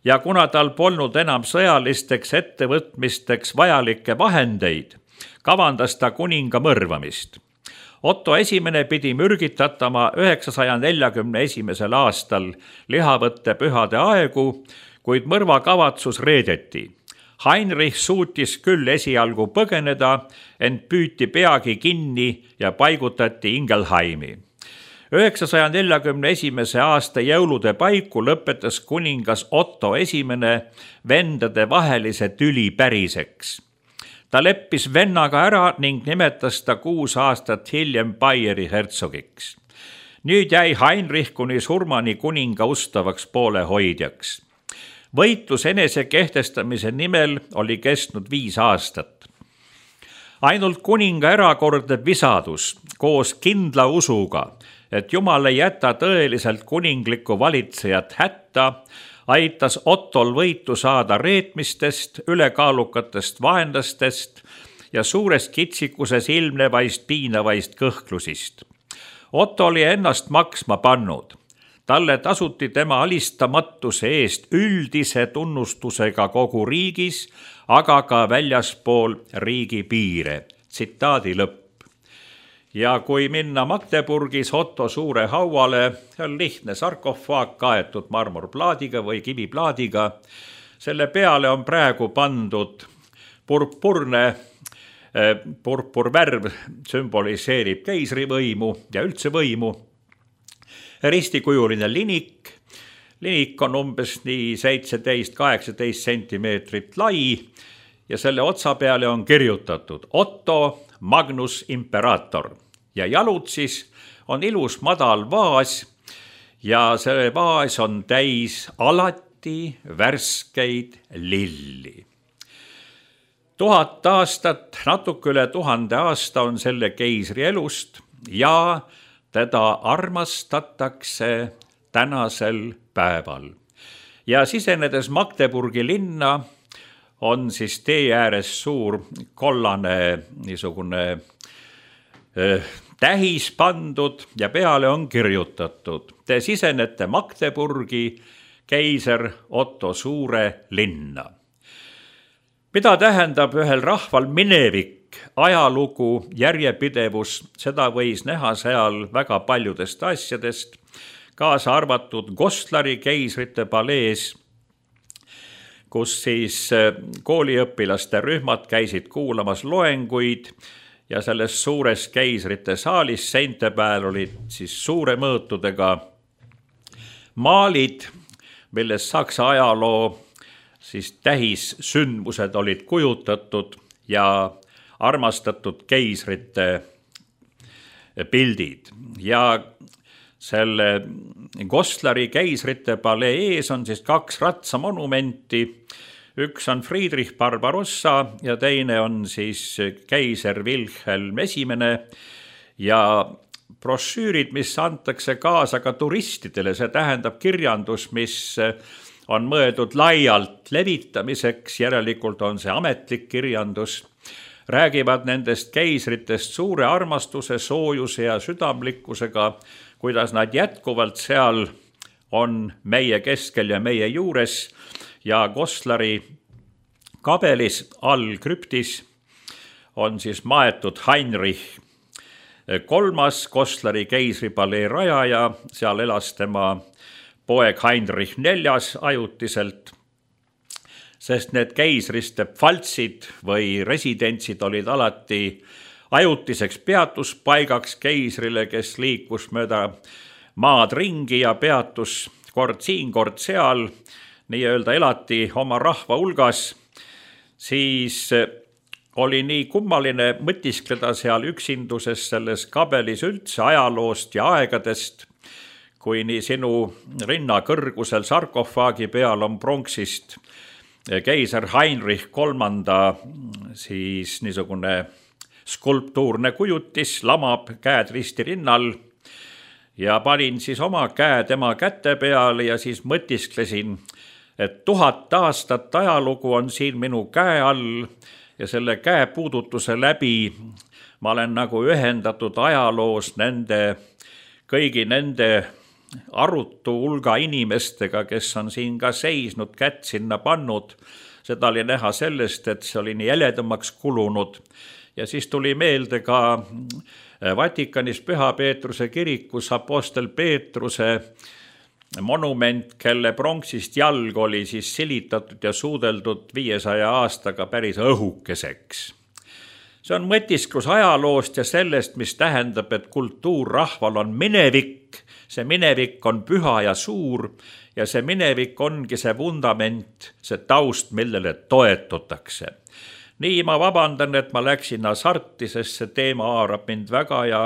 ja kuna tal polnud enam sõjalisteks ettevõtmisteks vajalikke vahendeid, kavandas ta kuninga mõrvamist. Otto esimene pidi mürgitatama 941. aastal lihavõtte pühade aegu, kuid mõrvakavatsus reedeti. Heinrich suutis küll esialgu põgeneda, ent püüti peagi kinni ja paigutati Ingelheimi. 941. aasta jõulude paiku lõpetas kuningas Otto esimene vendade vahelise tüli päriseks. Ta leppis vennaga ära ning nimetas ta 6 aastat hiljem Baieri hertsogiks. Nüüd jäi Heinrich kuni surmani kuninga ustavaks poolehoidjaks. Võitlus enese kehtestamise nimel oli kestnud 5 aastat. Ainult kuninga erakordne visadus koos kindla usuga, et Jumal ei jäta tõeliselt kuninglikku valitsejat hätta, aitas Ottol võitu saada reetmistest, ülekaalukatest vaenlastest ja suures kitsikuses ilmnevaist piinavaist kõhklusist. Otto oli ennast maksma pannud. Talle tasuti tema alistamatuse eest üldise tunnustusega kogu riigis, aga ka väljaspool riigi piire. Tsitaadi lõpp. Ja kui minna Magdeburgis Otto Suure hauale, on lihtne sarkofaag kaetud marmorplaadiga või kiviplaadiga. Selle peale on praegu pandud purpurvärv sümboliseerib keisrivõimu ja üldse võimu. Ristikujuline linik. Linik on umbes nii 17-18 sentimeetrit lai ja selle otsa peale on kirjutatud Otto Magnus Imperator. Ja jalud siis on ilus madal vaas ja see vaas on täis alati värskeid lilli. 1000 aastat, natuke üle 1000 aasta on selle keisri elust ja teda armastatakse tänasel päeval. Ja sisenedes Magdeburgi linna on siis tee ääres suur kollane niisugune tähis pandud ja peale on kirjutatud. Te sisenete Magdeburgi keiser Otto Suure linna. Mida tähendab ühel rahval minevik, ajalugu, järjepidevus, seda võis näha seal väga paljudest asjadest, kaasa arvatud Gostlari keisrite palees. kus siis kooliõpilaste rühmad käisid kuulamas loenguid ja selles suures keisrite saalis seinte peal olid siis suure mõõtudega maalid, milles Saksa ajaloo siis tähissündmused olid kujutatud ja armastatud keisrite pildid. Ja selle Goslar keisrite palee ees on siis 2 ratsamonumenti. Üks on Friedrich Barbarossa ja teine on siis keiser Wilhelm I. Ja brošüürid, mis antakse kaasa ka turistidele, see tähendab kirjandus, mis on mõeldud laialt levitamiseks, järelikult on see ametlik kirjandus, räägivad nendest keisritest suure armastuse, soojuse ja südamlikkusega, kuidas nad jätkuvalt seal on meie keskel ja meie juures ja Goslari kabelis all krüptis on siis maetud Heinrich III, Goslari keisripalee rajaja, seal elas tema poeg Heinrich IV ajutiselt, sest need keisriste pfaltsid või residentsid olid alati ajutiseks peatuspaigaks keisrile, kes liikus mööda maad ringi ja peatus kord siin, kord seal, nii-öelda elati oma rahva hulgas, siis oli nii kummaline mõtiskleda seal üksinduses selles kabelis üldse ajaloost ja aegadest, kui nii sinu rinna kõrgusel sarkofaagi peal on pronksist keiser Heinrich III siis niisugune skulptuurne kujutis, lamab käed risti rinnal ja panin siis oma käe tema käte peale ja siis mõtisklesin, et 1000 aastat ajalugu on siin minu käe all ja selle käe puudutuse läbi ma olen nagu ühendatud ajaloos kõigi nende arutu hulga inimestega, kes on siin ka seisnud, kätt sinna pannud. Seda oli näha sellest, et see oli nii jäledamaks kulunud. Ja siis tuli meelde ka Vatikanis Püha Peetruse kirikus Apostel Peetruse monument, kelle pronksist jalg oli siis silitatud ja suudeldud 500 aastaga päris õhukeseks. See on mõtisklus ajaloost ja sellest, mis tähendab, et kultuur rahval on minevik. See minevik on püha ja suur ja see minevik ongi see vundament, see taust, millele toetutakse. Nii ma vabandan, et ma läksin hasarti, sest see teema haarab mind väga ja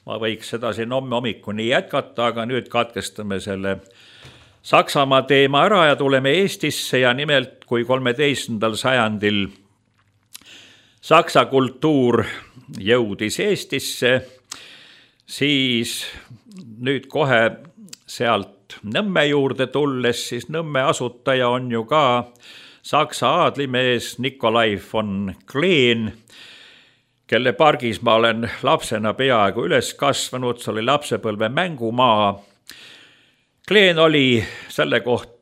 ma võiks seda siin homme hommikuni jätkata, aga nüüd katkestame selle Saksamaa teema ära ja tuleme Eestisse ja nimelt kui 13. sajandil saksa kultuur jõudis Eestisse, siis nüüd kohe sealt Nõmme juurde tulles, siis Nõmme asutaja on ju ka saksa aadlimees Nikolai von Kleen, kelle pargis ma olen lapsena peaaegu üles kasvanud, see oli lapsepõlve mängumaa. Kleen oli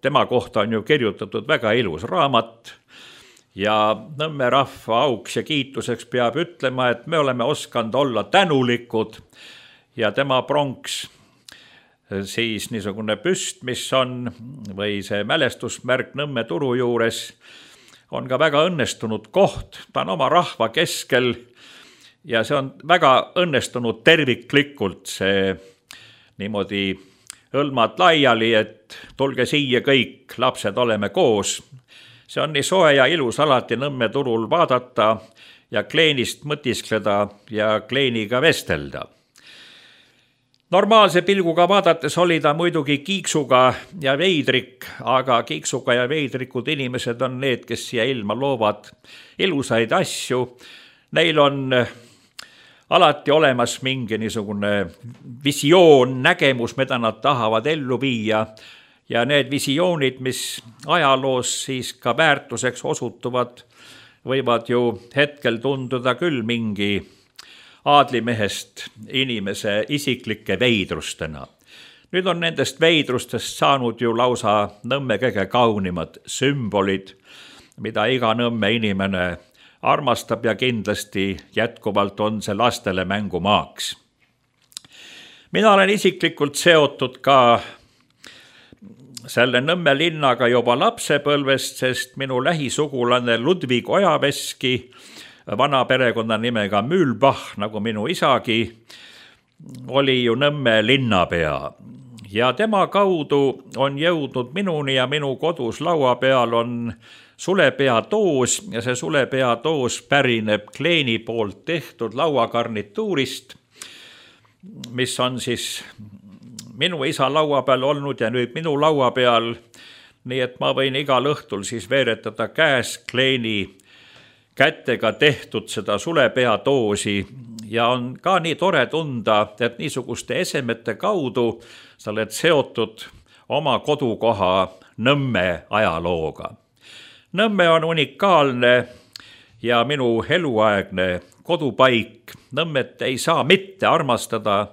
tema kohta on ju kirjutatud väga ilus raamat ja Nõmme rahva auks ja kiituseks peab ütlema, et me oleme osanud olla tänulikud ja tema pronks, siis niisugune püst, mis on, või see mälestusmärk Nõmme turu juures, on ka väga õnnestunud koht, ta on oma rahva keskel ja see on väga õnnestunud terviklikult, see niimoodi hõlmad laiali, et tulge siia kõik, lapsed oleme koos. See on nii soe ja ilus alati Nõmme turul vaadata ja Kleenist mõtiskleda ja Kleeniga vestelda. Normaalse pilguga vaadates oli ta muidugi kiiksuga ja veidrik, aga kiiksuga ja veidrikud inimesed on need, kes siia ilma loovad ilusaid asju. Neil on alati olemas mingi niisugune visioon, nägemus, mida nad tahavad ellu viia ja need visioonid, mis ajaloos siis ka väärtuseks osutuvad, võivad ju hetkel tunduda küll mingi aadlimehest inimese isiklike veidrustena. Nüüd on nendest veidrustest saanud ju lausa Nõmme kõige kaunimad sümbolid, mida iga Nõmme inimene armastab ja kindlasti jätkuvalt on see lastele mängumaaks. Mina olen isiklikult seotud ka selle Nõmme linnaga juba lapsepõlvest, sest minu lähisugulane Ludvig Ojaveski, vana perekonnanimega Mühlbach, nagu minu isagi, oli ju Nõmme linnapea. Ja tema kaudu on jõudnud minuni ja minu kodus laua peal on sulepeatoos ja see sulepeatoos pärineb Kleeni poolt tehtud lauagarnituurist, mis on siis minu isa laua peal olnud ja nüüd minu laua peal, nii et ma võin igal õhtul siis veeretada käes Kleeni kätega tehtud seda sulepeatoosi ja on ka nii tore tunda, et niisuguste esemete kaudu sa oled seotud oma kodukoha Nõmme ajalooga. Nõmme on unikaalne ja minu eluaegne kodupaik. Nõmmet ei saa mitte armastada,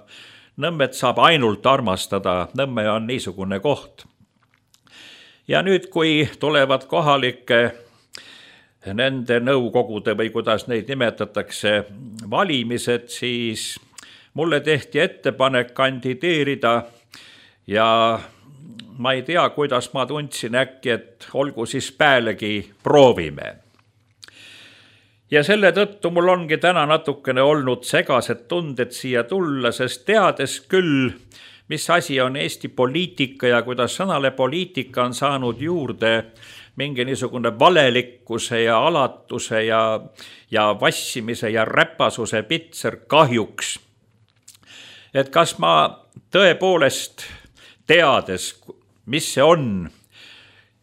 Nõmmet saab ainult armastada, Nõmme on niisugune koht. Ja nüüd, kui tulevad kohalike nende nõukogude või kuidas neid nimetatakse valimised, siis mulle tehti ettepanek kandideerida ja ma ei tea, kuidas ma tundsin äkki, et olgu siis päälegi proovime. Ja selle tõttu mul ongi täna natukene olnud segased tunded siia tulla, sest teades küll, mis asi on Eesti poliitika ja kuidas sõnale poliitika on saanud juurde mingi niisugune valelikkuse ja alatuse ja vassimise ja räpasuse pitser kahjuks. Et kas ma tõepoolest teades, mis see on,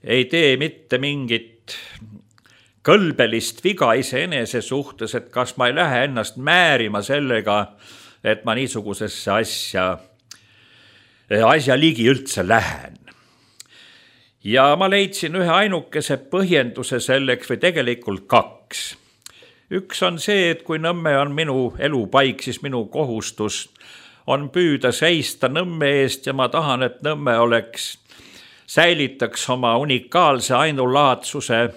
ei tee mitte mingit kõlbelist viga iseenese suhtes, et kas ma ei lähe ennast määrima sellega, et ma niisugusesse asja ligi üldse lähen. Ja ma leidsin ühe ainukese põhjenduse selleks või tegelikult kaks. Üks on see, et kui Nõmme on minu elupaik, siis minu kohustus on püüda seista Nõmme eest ja ma tahan, et Nõmme säilitaks oma unikaalse ainulaadsuse,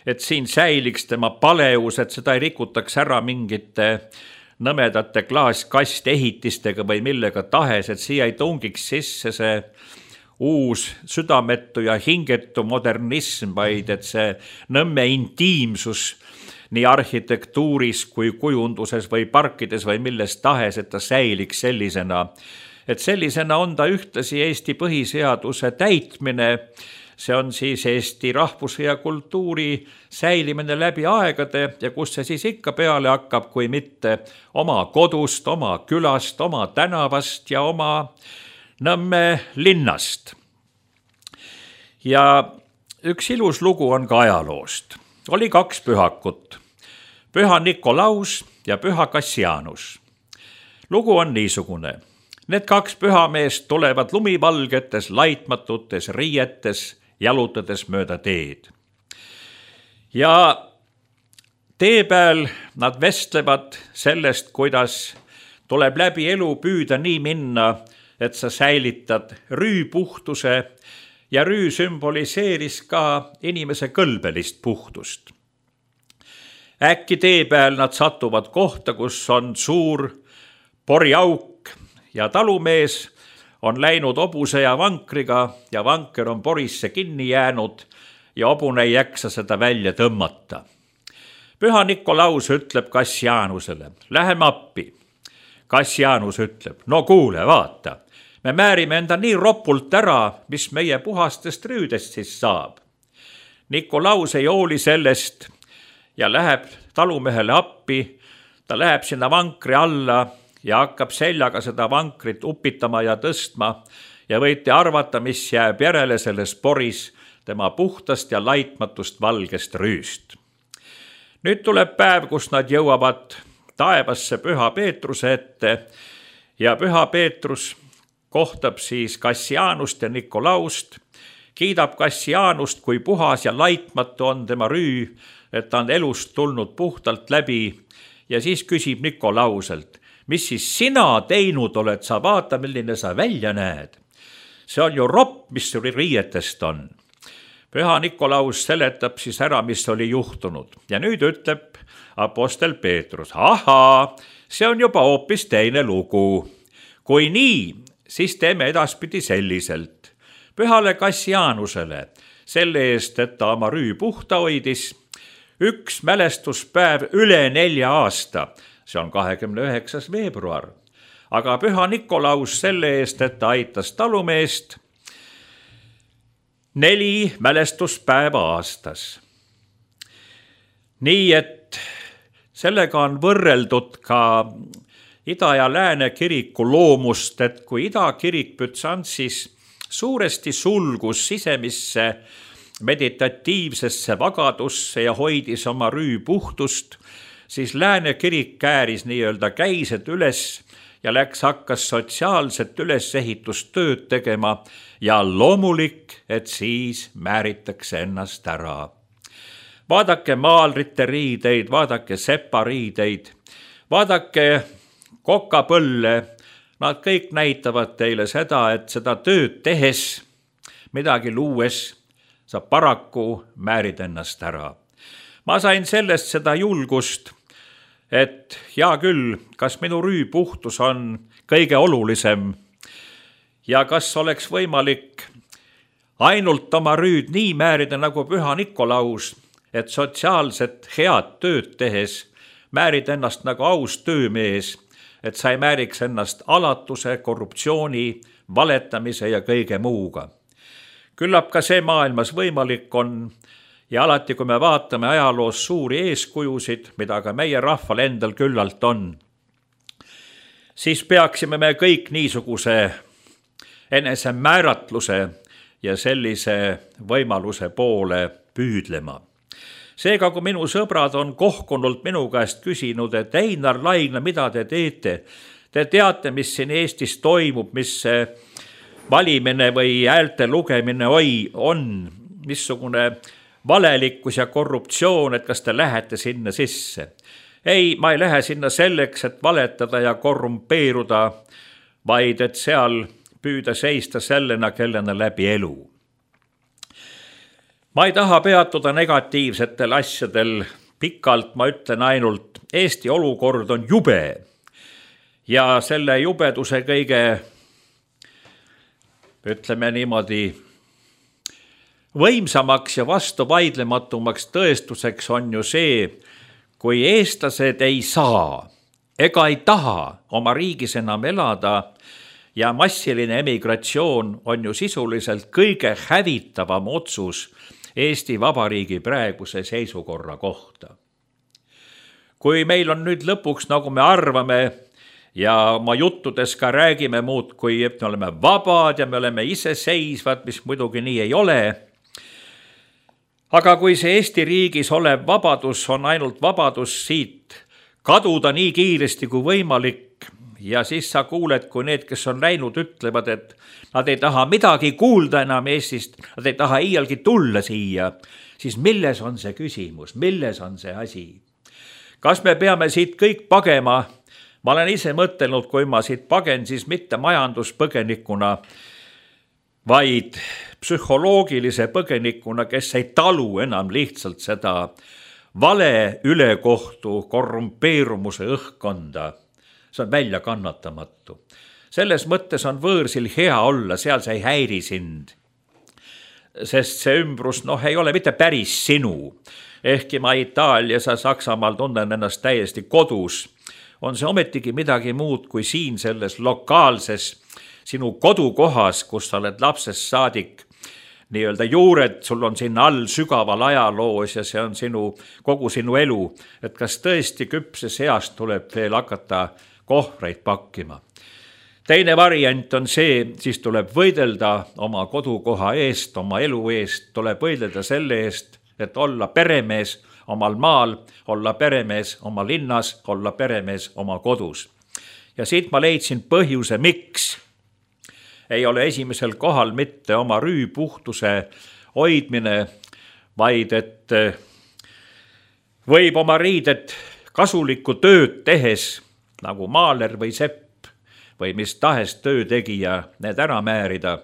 et siin säiliks tema paleus, et seda ei rikutaks ära mingite nõmedate klaaskastehitistega või millega tahes, et siia ei tungiks sisse see uus südametu ja hingetu modernism, vaid et see Nõmme intiimsus nii arhitektuuris kui kujunduses või parkides või milles tahes, et ta säiliks sellisena. Et sellisena on ta ühtlasi Eesti põhiseaduse täitmine, see on siis Eesti rahvuse ja kultuuri säilimine läbi aegade ja kus see siis ikka peale hakkab, kui mitte oma kodust, oma külast, oma tänavast ja oma Nõmme linnast. Ja üks ilus lugu on ka ajaloost. Oli kaks pühakut, Püha Nikolaus ja Püha Kassianus. Lugu on niisugune. Need kaks pühameest tulevad lumivalgetes, laitmatutes riietes, jalutades mööda teed. Ja tee peal nad vestlevad sellest, kuidas tuleb läbi elu püüda nii minna, et sa säilitad rüü puhtuse ja rüü sümboliseeris ka inimese kõlbelist puhtust. Äkki tee peal nad satuvad kohta, kus on suur poriauk ja talumees on läinud hobuse ja vankriga ja vanker on porisse kinni jäänud ja hobune ei jaksa seda välja tõmmata. Püha Nikolaus ütleb Kassianusele, läheme appi. Kassianus ütleb, no kuule, vaata, me määrime enda nii ropult ära, mis meie puhastest rüüdest siis saab. Nikolaus ei hooli sellest ja läheb talumehele appi, ta läheb sinna vankri alla ja hakkab seljaga seda vankrit upitama ja tõstma ja võite arvata, mis jääb järele selles poris tema puhtast ja laitmatust valgest rüüst. Nüüd tuleb päev, kus nad jõuavad taevasse Püha Peetruse ette ja Püha Peetrus kohtab siis Kassianust ja Nikolaust, kiidab Kassianust, kui puhas ja laitmatu on tema rüü, et ta on elust tulnud puhtalt läbi ja siis küsib Nikolauselt, mis siis sina teinud oled, sa vaata, milline sa välja näed. See on ju ropp, mis sul riietest on. Püha Nikolaus seletab siis ära, mis oli juhtunud ja nüüd ütleb apostel Peetrus, ahaa, see on juba hoopis teine lugu. Kui nii, siis teeme edaspidi selliselt. Pühale Kassianusele selle eest, et ta oma rüü puhta hoidis, üks mälestuspäev üle 4 aasta, see on 29. veebruar. Aga Püha Nikolaus selle eest, et ta aitas talumeest 4 mälestuspäeva aastas. Nii et sellega on võrreldud ka Ida ja Lääne kiriku loomust, et kui Ida kirik Bütsantsis suuresti sulgus sisemisse meditatiivsesse vagadusse ja hoidis oma rüü puhtust, siis Lääne kirik kääris nii-öelda käised üles ja hakkas sotsiaalset ülesehitustööd tegema ja loomulik, et siis määritakse ennast ära. Vaadake maalrite riideid, vaadake separiideid, vaadake kokapõlle, nad kõik näitavad teile seda, et seda tööd tehes, midagi luues, sa paraku määrid ennast ära. Ma sain sellest seda julgust, et hea küll, kas minu rüü puhtus on kõige olulisem ja kas oleks võimalik ainult oma rüüd nii määrida nagu Püha Nikolaus, et sotsiaalset head tööd tehes määrid ennast nagu aus töömees, et sa ei määriks ennast alatuse, korruptsiooni, valetamise ja kõige muuga. Küllap ka see maailmas võimalik on ja alati, kui me vaatame ajaloos suuri eeskujusid, mida ka meie rahval endal küllalt on, siis peaksime me kõik niisuguse enesemääratluse ja sellise võimaluse poole püüdlema. Seega, kui minu sõbrad on kohkunult minu käest küsinud, et Einar Laigna, mida te teete? Te teate, mis siin Eestis toimub, mis see valimine või häälte lugemine on, missugune valelikkus ja korruptsioon, et kas te lähete sinna sisse? Ei, ma ei lähe sinna selleks, et valetada ja korrumpeeruda, vaid et seal püüda seista sellena, kellena läbi elu. Ma ei taha peatuda negatiivsetel asjadel pikalt, ma ütlen ainult, Eesti olukord on jube ja selle jubeduse kõige, ütleme niimoodi, võimsamaks ja vastuvaidlematumaks tõestuseks on ju see, kui eestlased ei saa ega ei taha oma riigis enam elada ja massiline emigratsioon on ju sisuliselt kõige hävitavam otsus Eesti Vabariigi praeguse seisukorra kohta. Kui meil on nüüd lõpuks, nagu me arvame ja oma juttudes ka räägime muud, kui me oleme vabad ja me oleme iseseisvad, mis muidugi nii ei ole, aga kui see Eesti riigis olev vabadus on ainult vabadus siit kaduda nii kiiresti kui võimalik ja siis sa kuuled, kui need, kes on läinud, ütlevad, et nad ei taha midagi kuulda enam Eestist, nad ei taha iialgi tulla siia, siis milles on see küsimus, milles on see asi? Kas me peame siit kõik pagema? Ma olen ise mõtelnud, kui ma siit pagen, siis mitte majanduspõgenikuna, vaid psühholoogilise põgenikuna, kes ei talu enam lihtsalt seda vale ülekohtu korrumpeerumuse õhkkonda. See on välja kannatamatu. Selles mõttes on võõrsil hea olla, seal sa ei häiri sind. Sest see ümbrus, ei ole mitte päris sinu. Ehkki ma Itaalias ja Saksamaal tunnen ennast täiesti kodus, on see ometigi midagi muud kui siin selles lokaalses sinu kodukohas, kus sa oled lapsest saadik, nii-öelda juured, sul on sinna all sügaval ajaloos ja see on kogu sinu elu, et kas tõesti küpses east tuleb veel hakata kohvreid pakkima. Teine variant on see, siis tuleb võidelda oma kodukoha eest, oma elu eest, tuleb võidelda selle eest, et olla peremees omal maal, olla peremees oma linnas, olla peremees oma kodus. Ja siit ma leidsin põhjuse, miks ei ole esimesel kohal mitte oma rüü puhtuse hoidmine, vaid et võib oma riidet kasulikku tööd tehes, nagu maaler või sepp või mis tahes töötegija need ära määrida.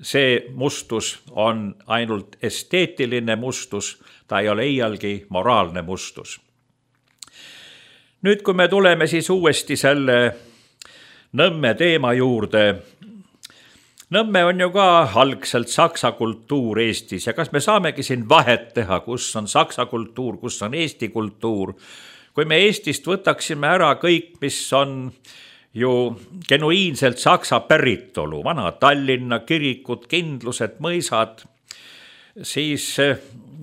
See mustus on ainult esteetiline mustus, ta ei ole iialgi moraalne mustus. Nüüd, kui me tuleme siis uuesti selle Nõmme teema juurde, Nõmme on ju ka algselt saksa kultuur Eestis ja kas me saamegi siin vahet teha, kus on saksa kultuur, kus on Eesti kultuur. Kui me Eestist võtaksime ära kõik, mis on ju genuiinselt saksa päritolu, vana Tallinna kirikud, kindlused, mõisad, siis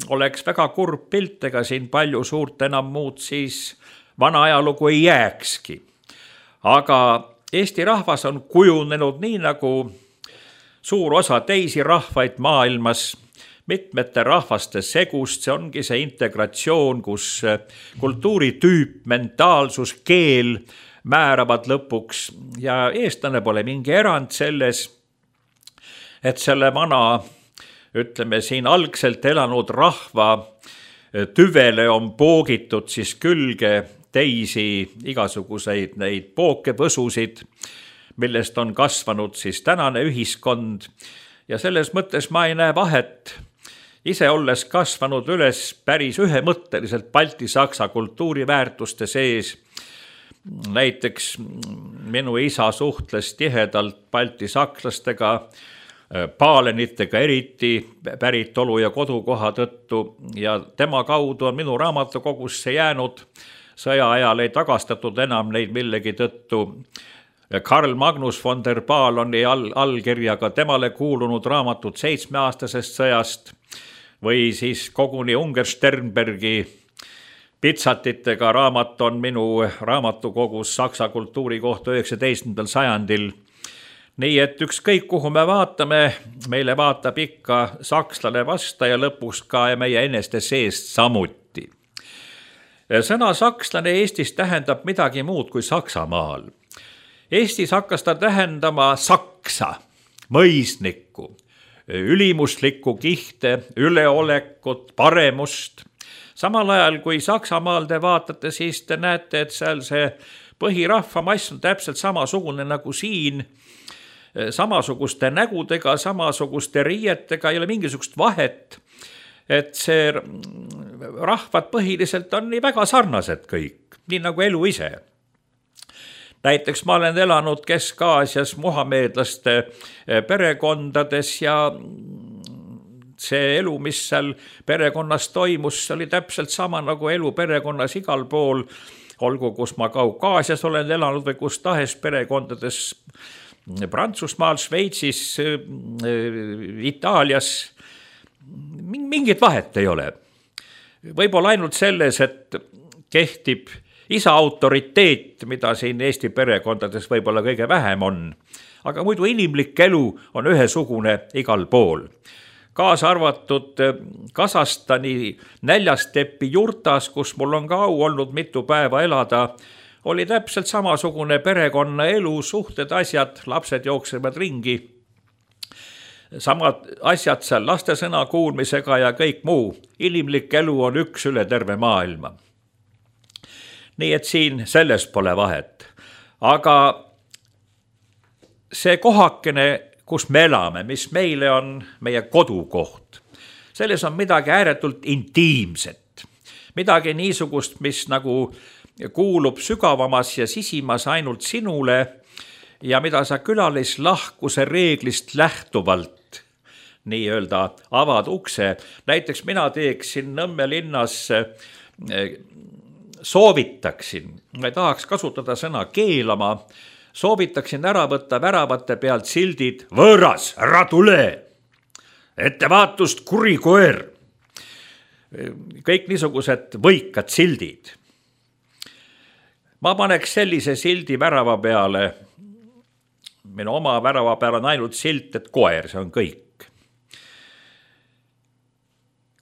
oleks väga kurb pilt, ega siin palju suurt enam muud siis vana ajalugu ei jääkski. Aga Eesti rahvas on kujunenud nii nagu suur osa teisi rahvaid maailmas, mitmete rahvaste segust, see ongi see integratsioon, kus kultuuritüüp, mentaalsus, keel määravad lõpuks ja eestlane pole mingi erand selles, et selle vana, ütleme siin algselt elanud rahva tüvele on poogitud siis külge teisi igasuguseid neid pookevõsusid, millest on kasvanud siis tänane ühiskond ja selles mõttes ma ei näe vahet, ise olles kasvanud üles päris ühemõtteliselt balti-saksa kultuuriväärtuste sees. Näiteks minu isa suhtles tihedalt balti-sakslastega, paalenitega eriti päritolu ja kodukoha tõttu ja tema kaudu on minu raamatukogusse jäänud, sõja ajal ei tagastatud enam neid millegi tõttu Karl Magnus von der Paaloni allkirjaga temale kuulunud raamatud 7-aastasest sõjast või siis koguni Unger Sternbergi pitsatitega raamat on minu raamatukogus saksa kultuuri kohta 19. sajandil. Nii et ükskõik kuhu me vaatame, meile vaatab ikka sakslane vasta ja lõpuks ka meie eneste seest samuti. Sõna sakslane Eestis tähendab midagi muud kui Saksamaal. Eestis hakkas ta tähendama saksa, mõisnikku, ülimuslikku kihte, üleolekut, paremust. Samal ajal kui Saksamaal te vaatate, siis te näete, et seal see põhirahvamass on täpselt samasugune nagu siin, samasuguste nägudega, samasuguste riietega, ei ole mingisugust vahet, et see rahvad põhiliselt on nii väga sarnased kõik, nii nagu elu ise. Näiteks ma olen elanud Kesk-Aasias muhameedlaste perekondades ja see elu, mis seal perekonnas toimus, oli täpselt sama nagu elu perekonnas igal pool, olgu kus ma Kaukaasias olen elanud või kus tahes perekondades Prantsusmaal, Šveitsis, Itaalias, mingit vahet ei ole. Võib-olla ainult selles, et kehtib isa autoriteet, mida siin Eesti perekondades võib-olla kõige vähem on, aga muidu inimlik elu on ühesugune igal pool. Kaasa arvatud Kasahstani Näljastepi jurtas, kus mul on ka au olnud mitu päeva elada, oli täpselt samasugune perekonna elu, suhted, asjad, lapsed jooksevad ringi. Samad asjad seal laste sõna kuulmisega ja kõik muu. Inimlik elu on üks üle terve maailma. Nii et siin selles pole vahet. Aga see kohakene, kus me elame, mis meile on meie kodukoht, selles on midagi ääretult intiimset. Midagi niisugust, mis nagu kuulub sügavamas ja sisimas ainult sinule ja mida sa külalislahkuse reeglist lähtuvalt nii-öelda avad ukse. Näiteks mina teeksin Nõmme linnas soovitaksin, ma ei tahaks kasutada sõna keelama, soovitaksin ära võtta väravate pealt sildid võõras, ära tule, ettevaatust kuri koer. Kõik niisugused võikad sildid. Ma paneks sellise sildi värava peale, minu oma värava peal on ainult silt, et koer, see on kõik.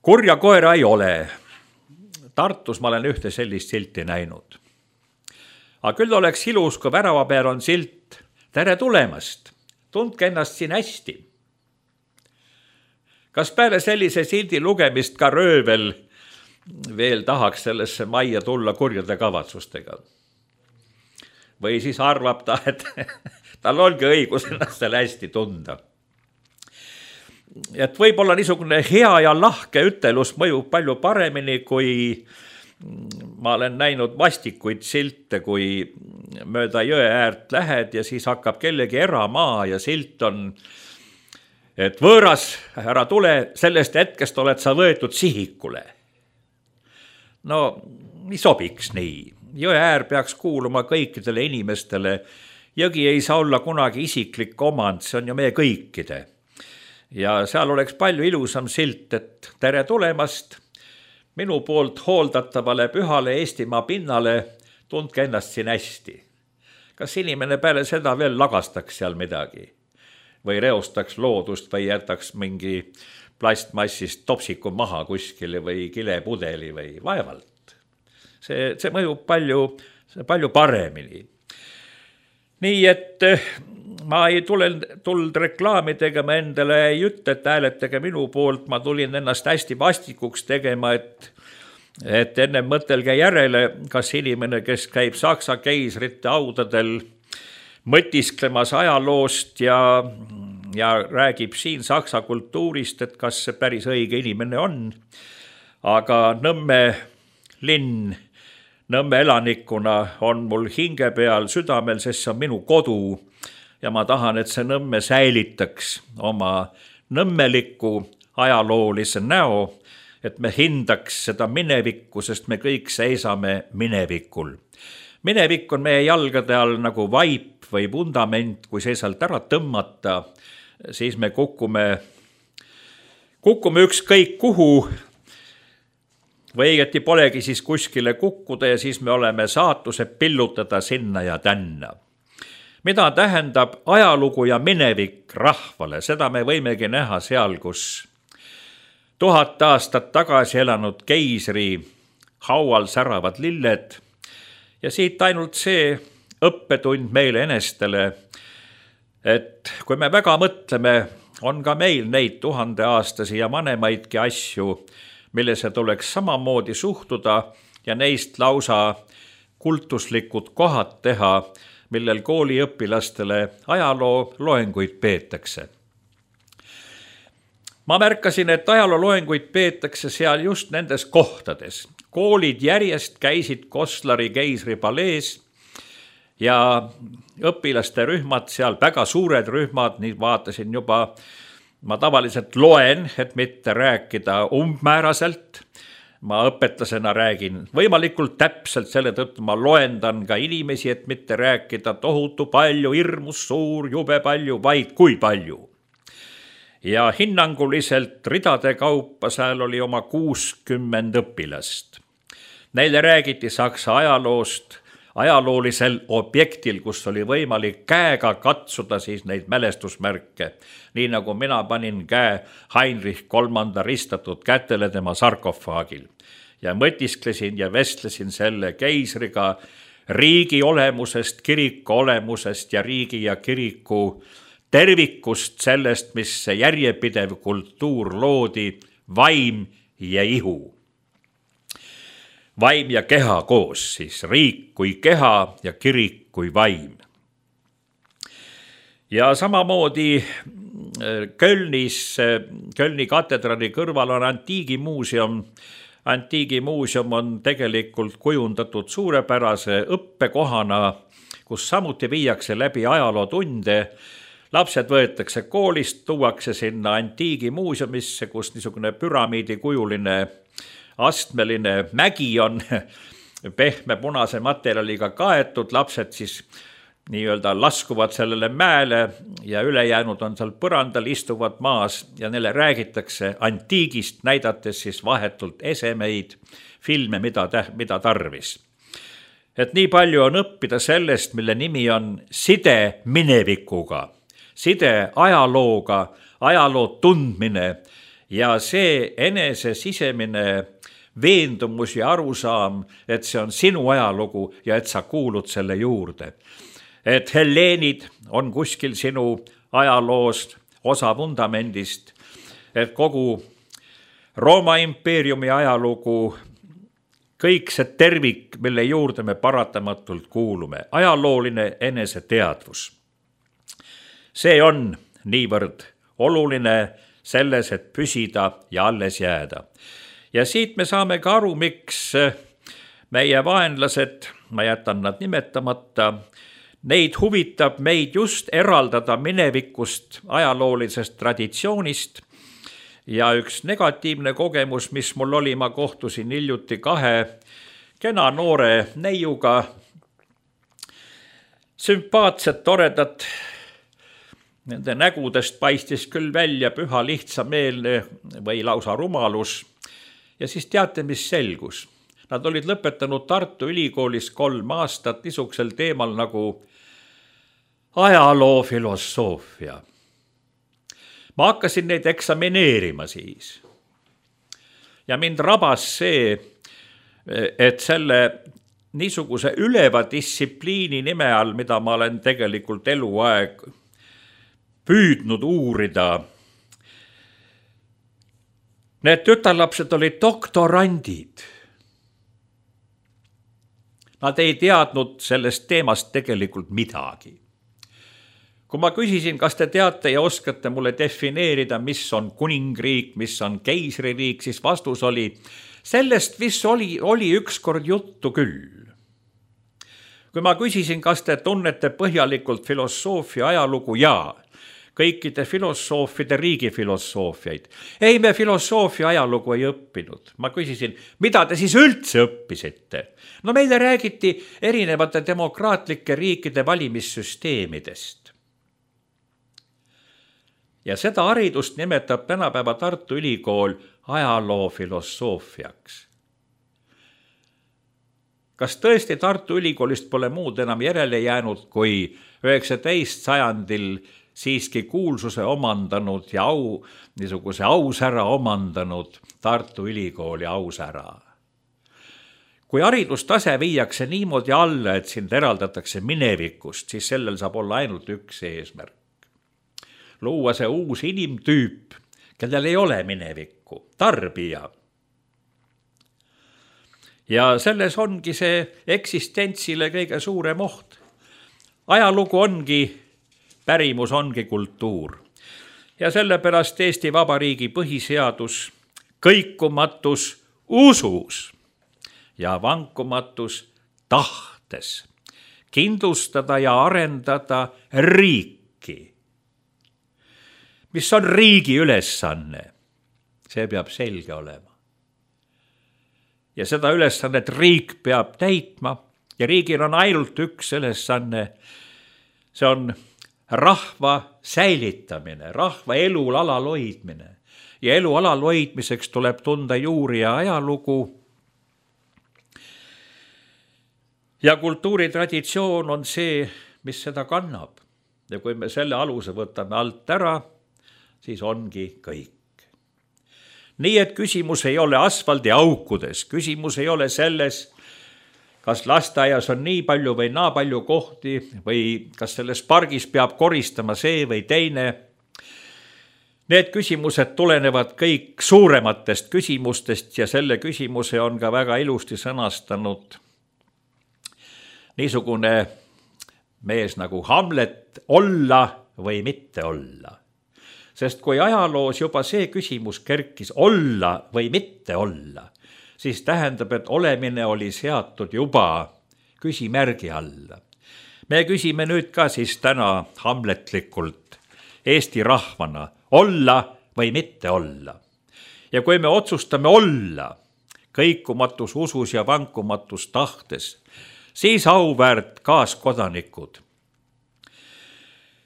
Kurja koera ei ole. Tartus ma olen ühte sellist silti näinud. Aga küll oleks ilus, kui värava peal on silt, tere tulemast, tundke ennast siin hästi. Kas peale sellise sildi lugemist ka röövel veel tahaks sellesse majja tulla kurjade kavatsustega? Või siis arvab ta, et tal ongi õigus ennast seal hästi tunda. Et võib-olla niisugune hea ja lahke ütelus mõjub palju paremini, kui ma olen näinud vastikuid silte, kui mööda jõe äärt lähed ja siis hakkab kellegi eramaa ja silt on et võõras, ära tule, sellest hetkest oled sa võetud sihikule. No, ei sobiks nii. Jõe äär peaks kuuluma kõikidele inimestele. Jõgi ei saa olla kunagi isiklik omand, see on ju meie kõikide. Ja seal oleks palju ilusam silt, et tere tulemast minu poolt hooldatavale pühale Eestimaa pinnale, tundke ennast siin hästi. Kas inimene peale seda veel lagastaks seal midagi? Või reostaks loodust või jätaks mingi plastmassist topsiku maha kuskile või kilepudeli või vaevalt? See mõjub palju paremini. Nii et ma ei tulnud reklaami tegema endale, ei ütle, et hääletage minu poolt, ma tulin ennast hästi vastikuks tegema, et enne mõtelge järele, kas inimene, kes käib Saksa keisrite audadel mõtisklemas ajaloost ja räägib siin Saksa kultuurist, et kas see päris õige inimene on. Aga Nõmme linn, Nõmme elanikuna on mul hinge peal südamel, sest see on minu kodu ja ma tahan, et see Nõmme säilitaks oma nõmmeliku ajaloolise näo, et me hindaks seda minevikku, sest me kõik seisame minevikul. Minevik on meie jalgade all nagu vaip või vundament, kui see sealt ära tõmmata, siis me kukume ükskõik kuhu, või õieti polegi siis kuskile kukkuda ja siis me oleme saatuse pillutada sinna ja tänna. Mida tähendab ajalugu ja minevik rahvale, seda me võimegi näha seal, kus 1000 aastat tagasi elanud keisri haual säravad lilled ja siit ainult see õppetund meile enestele, et kui me väga mõtleme, on ka meil neid 1000-aastasi ja vanemaidki asju, millesse tuleks samamoodi suhtuda ja neist lausa kultuslikud kohad teha, millel kooliõpilastele ajaloo loenguid peetakse. Ma märkasin, et ajaloo loenguid peetakse seal just nendes kohtades. Koolid järjest käisid Koslari keisripalees ja õpilaste rühmad seal, väga suured rühmad, nii vaatasin juba. Ma tavaliselt loen, et mitte rääkida umbmääraselt. Ma õpetlasena räägin võimalikult täpselt, selle tõttu ma loendan ka inimesi, et mitte rääkida tohutu palju, hirmus suur, jube palju, vaid kui palju. Ja hinnanguliselt ridade kaupa seal oli oma 60 õpilast. Neile räägiti Saksa ajaloost, ajaloolisel objektil, kus oli võimalik käega katsuda siis neid mälestusmärke, nii nagu mina panin käe Heinrich III ristatud kätele tema sarkofaagil ja mõtisklesin ja vestlesin selle keisriga riigi olemusest, kiriku olemusest ja riigi ja kiriku tervikust, sellest, mis see järjepidev kultuur loodi, vaim ja ihu. Vaim ja keha koos, siis riik kui keha ja kirik kui vaim. Ja samamoodi Kölni katedrali kõrval on antiigimuuseum. Antiigimuuseum on tegelikult kujundatud suurepärase õppekohana, kus samuti viiakse läbi ajalootunde. Lapsed võetakse koolist, tuuakse sinna antiigimuuseumisse, kus niisugune püramiidikujuline astmeline mägi on pehme punase materjaliga kaetud, lapsed siis nii-öelda laskuvad sellele mäele ja ülejäänud on seal põrandal, istuvad maas ja neile räägitakse antiigist, näidates siis vahetult esemeid, filme, mida tarvis. Et nii palju on õppida sellest, mille nimi on side minevikuga, side ajalooga, ajaloo tundmine ja see enese sisemine veendumus ja arusaam, et see on sinu ajalugu ja et sa kuulud selle juurde. Et helleenid on kuskil sinu ajaloost, osa vundamendist, et kogu Rooma impeeriumi ajalugu, kõik see tervik, mille juurde me paratamatult kuulume, ajalooline eneseteadvus. See on niivõrd oluline selles, et püsida ja alles jääda. Ja siit me saame ka aru, miks meie vaenlased, ma jätan nad nimetamata, Neid huvitab meid just eraldada minevikust ajaloolisest traditsioonist ja üks negatiivne kogemus, mis mul oli, ma kohtusin hiljuti 2 kena noore neiuga, sümpaatsed, toredad, nende nägudest paistis küll välja püha lihtsameelne või lausa rumalus ja siis teate, mis selgus. Nad olid lõpetanud Tartu Ülikoolis 3 aastat niisugusel teemal nagu ajaloo filosoofia. Ma hakkasin neid eksamineerima siis. Ja mind rabas see, et selle niisuguse üleva distsipliini nime all, mida ma olen tegelikult eluaeg püüdnud uurida, need tütarlapsed olid doktorandid. Nad ei teadnud sellest teemast tegelikult midagi. Kui ma küsisin, kas te teate ja oskate mulle defineerida, mis on kuningriik, mis on keisririik, siis vastus oli, sellest mis oli ükskord juttu küll. Kui ma küsisin, kas te tunnete põhjalikult filosoofia ajalugu, jaa, kõikide filosoofide riigifilosoofiaid. Ei, me filosoofia ajalugu ei õppinud. Ma küsisin, mida te siis üldse õppisite? No meile räägiti erinevate demokraatlike riikide valimissüsteemidest. Ja seda haridust nimetab tänapäeva Tartu Ülikool ajaloo filosoofiaks. Kas tõesti Tartu Ülikoolist pole muud enam järele jäänud, kui 19. sajandil siiski kuulsuse omandanud ja niisuguse ausära omandanud Tartu Ülikooli ausära? Kui haridustase viiakse niimoodi alla, et sind eraldatakse minevikust, siis sellel saab olla ainult üks eesmärk. Luua see uus inimtüüp, kellel ei ole minevikku, tarbija. Ja selles ongi see eksistentsile kõige suurem oht. Ajalugu ongi, pärimus ongi kultuur. Ja sellepärast Eesti Vabariigi põhiseadus, kõikumatus usus ja vankumatus tahtes kindlustada ja arendada riiki. Mis on riigi ülesanne? See peab selge olema. Ja seda ülesannet riik peab täitma ja riigil on ainult üks ülesanne. See on rahva säilitamine, rahva elul alal hoidmine. Ja elu alal hoidmiseks tuleb tunda juuri ja ajalugu. Ja kultuuritraditsioon on see, mis seda kannab. Ja kui me selle aluse võtame alt ära, siis ongi kõik. Nii et küsimus ei ole asfaldi aukudes, küsimus ei ole selles, kas lasteaias on nii palju või naa palju kohti või kas selles pargis peab koristama see või teine. Need küsimused tulenevad kõik suurematest küsimustest ja selle küsimuse on ka väga ilusti sõnastanud niisugune mees nagu Hamlet, olla või mitte olla. Sest kui ajaloos juba see küsimus kerkis olla või mitte olla, siis tähendab, et olemine oli seatud juba küsimärgi alla. Me küsime nüüd ka siis täna hamletlikult Eesti rahvana olla või mitte olla. Ja kui me otsustame olla kõikumatus usus ja vankumatus tahtes, siis auväärt kaaskodanikud.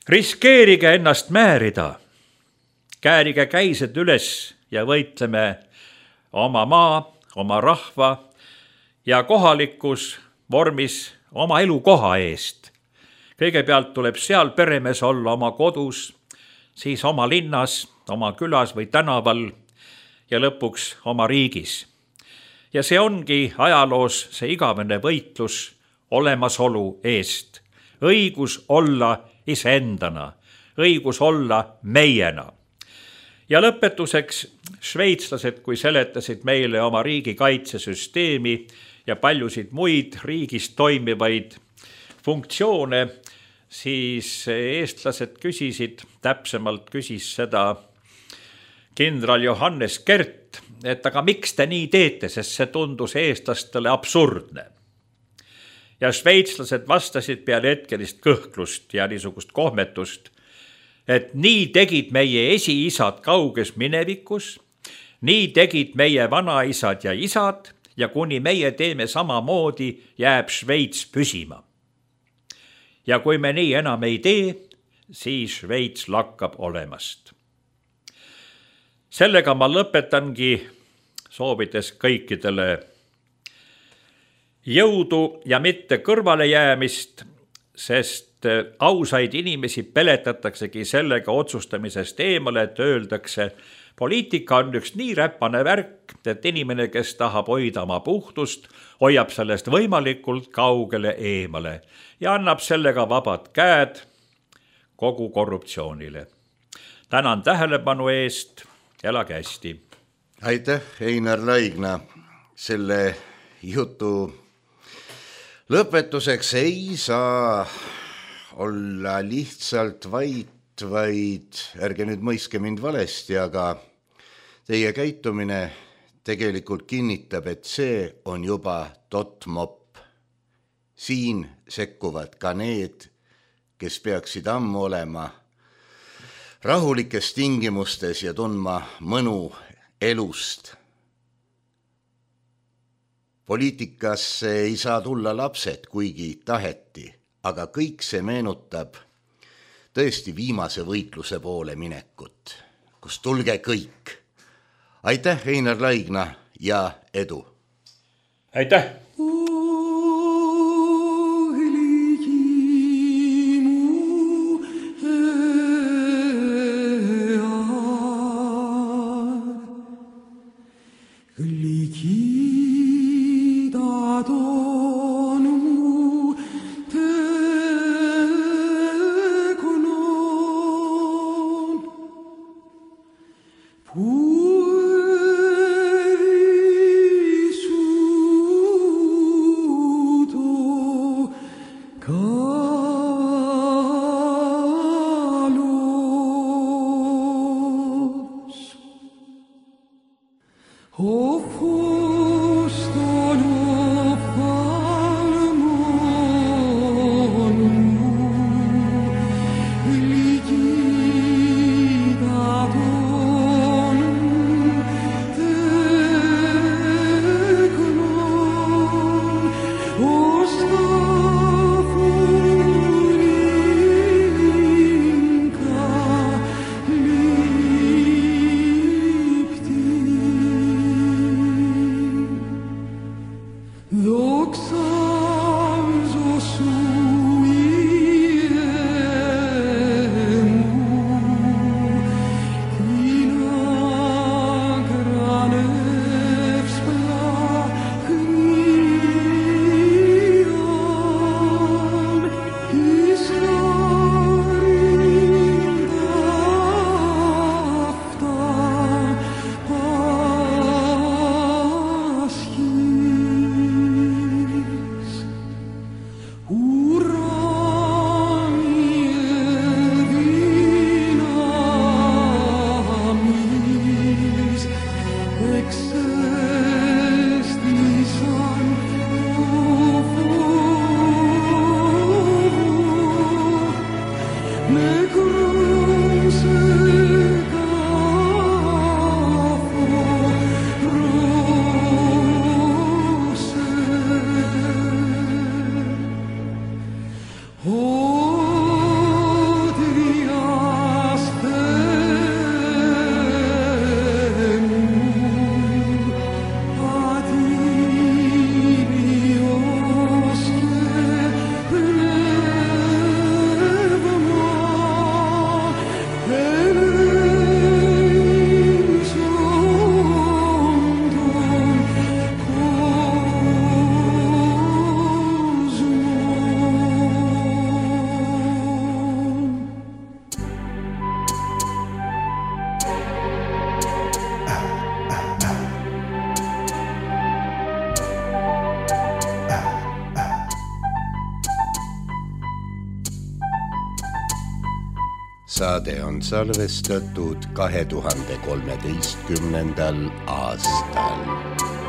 Riskeerige ennast määrida. Käärige käised üles ja võitleme oma maa, oma rahva ja kohalikus vormis oma elukoha eest. Kõigepealt tuleb seal peremees olla oma kodus, siis oma linnas, oma külas või tänaval ja lõpuks oma riigis. Ja see ongi ajaloos see igavene võitlus olemasolu eest. Õigus olla iseendana, õigus olla meiena. Ja lõpetuseks šveitslased, kui seletasid meile oma riigi kaitsesüsteemi ja paljusid muid riigis toimivaid funktsioone, siis eestlased küsisid, täpsemalt küsis seda kindral Johannes Kert, et aga miks te nii teete, sest see tundus eestlastele absurdne. ja šveitslased vastasid peale hetkelist kõhklust ja niisugust kohmetust, et nii tegid meie esiisad kauges minevikus, nii tegid meie vanaisad ja isad ja kuni meie teeme samamoodi, jääb Šveits püsima. Ja kui me nii enam ei tee, siis Šveits lakkab olemast. Sellega ma lõpetangi, soovides kõikidele jõudu ja mitte kõrvale jäämist, sest ausaid inimesi peletataksegi sellega otsustamisest eemale, et öeldakse, poliitika on üks nii räpane värk, et inimene, kes tahab hoida oma puhtust, hoiab sellest võimalikult kaugele eemale ja annab sellega vabad käed kogu korruptsioonile. Tänan tähelepanu eest, elage hästi. Aitäh, Einar Laigna. Selle jutu lõpetuseks ei saa olla lihtsalt vaid ärge nüüd mõiske mind valesti, aga teie käitumine tegelikult kinnitab, et see on juba tottmopp. Siin sekkuvad ka need, kes peaksid ammu olema rahulikes tingimustes ja tundma mõnu elust. Poliitikasse ei saa tulla lapsed, kuigi taheti, aga kõik see meenutab tõesti viimase võitluse poole minekut, kus tulge kõik. Aitäh, Einar Laigna ja edu! Aitäh! Saade on salvestatud 2013. aastal.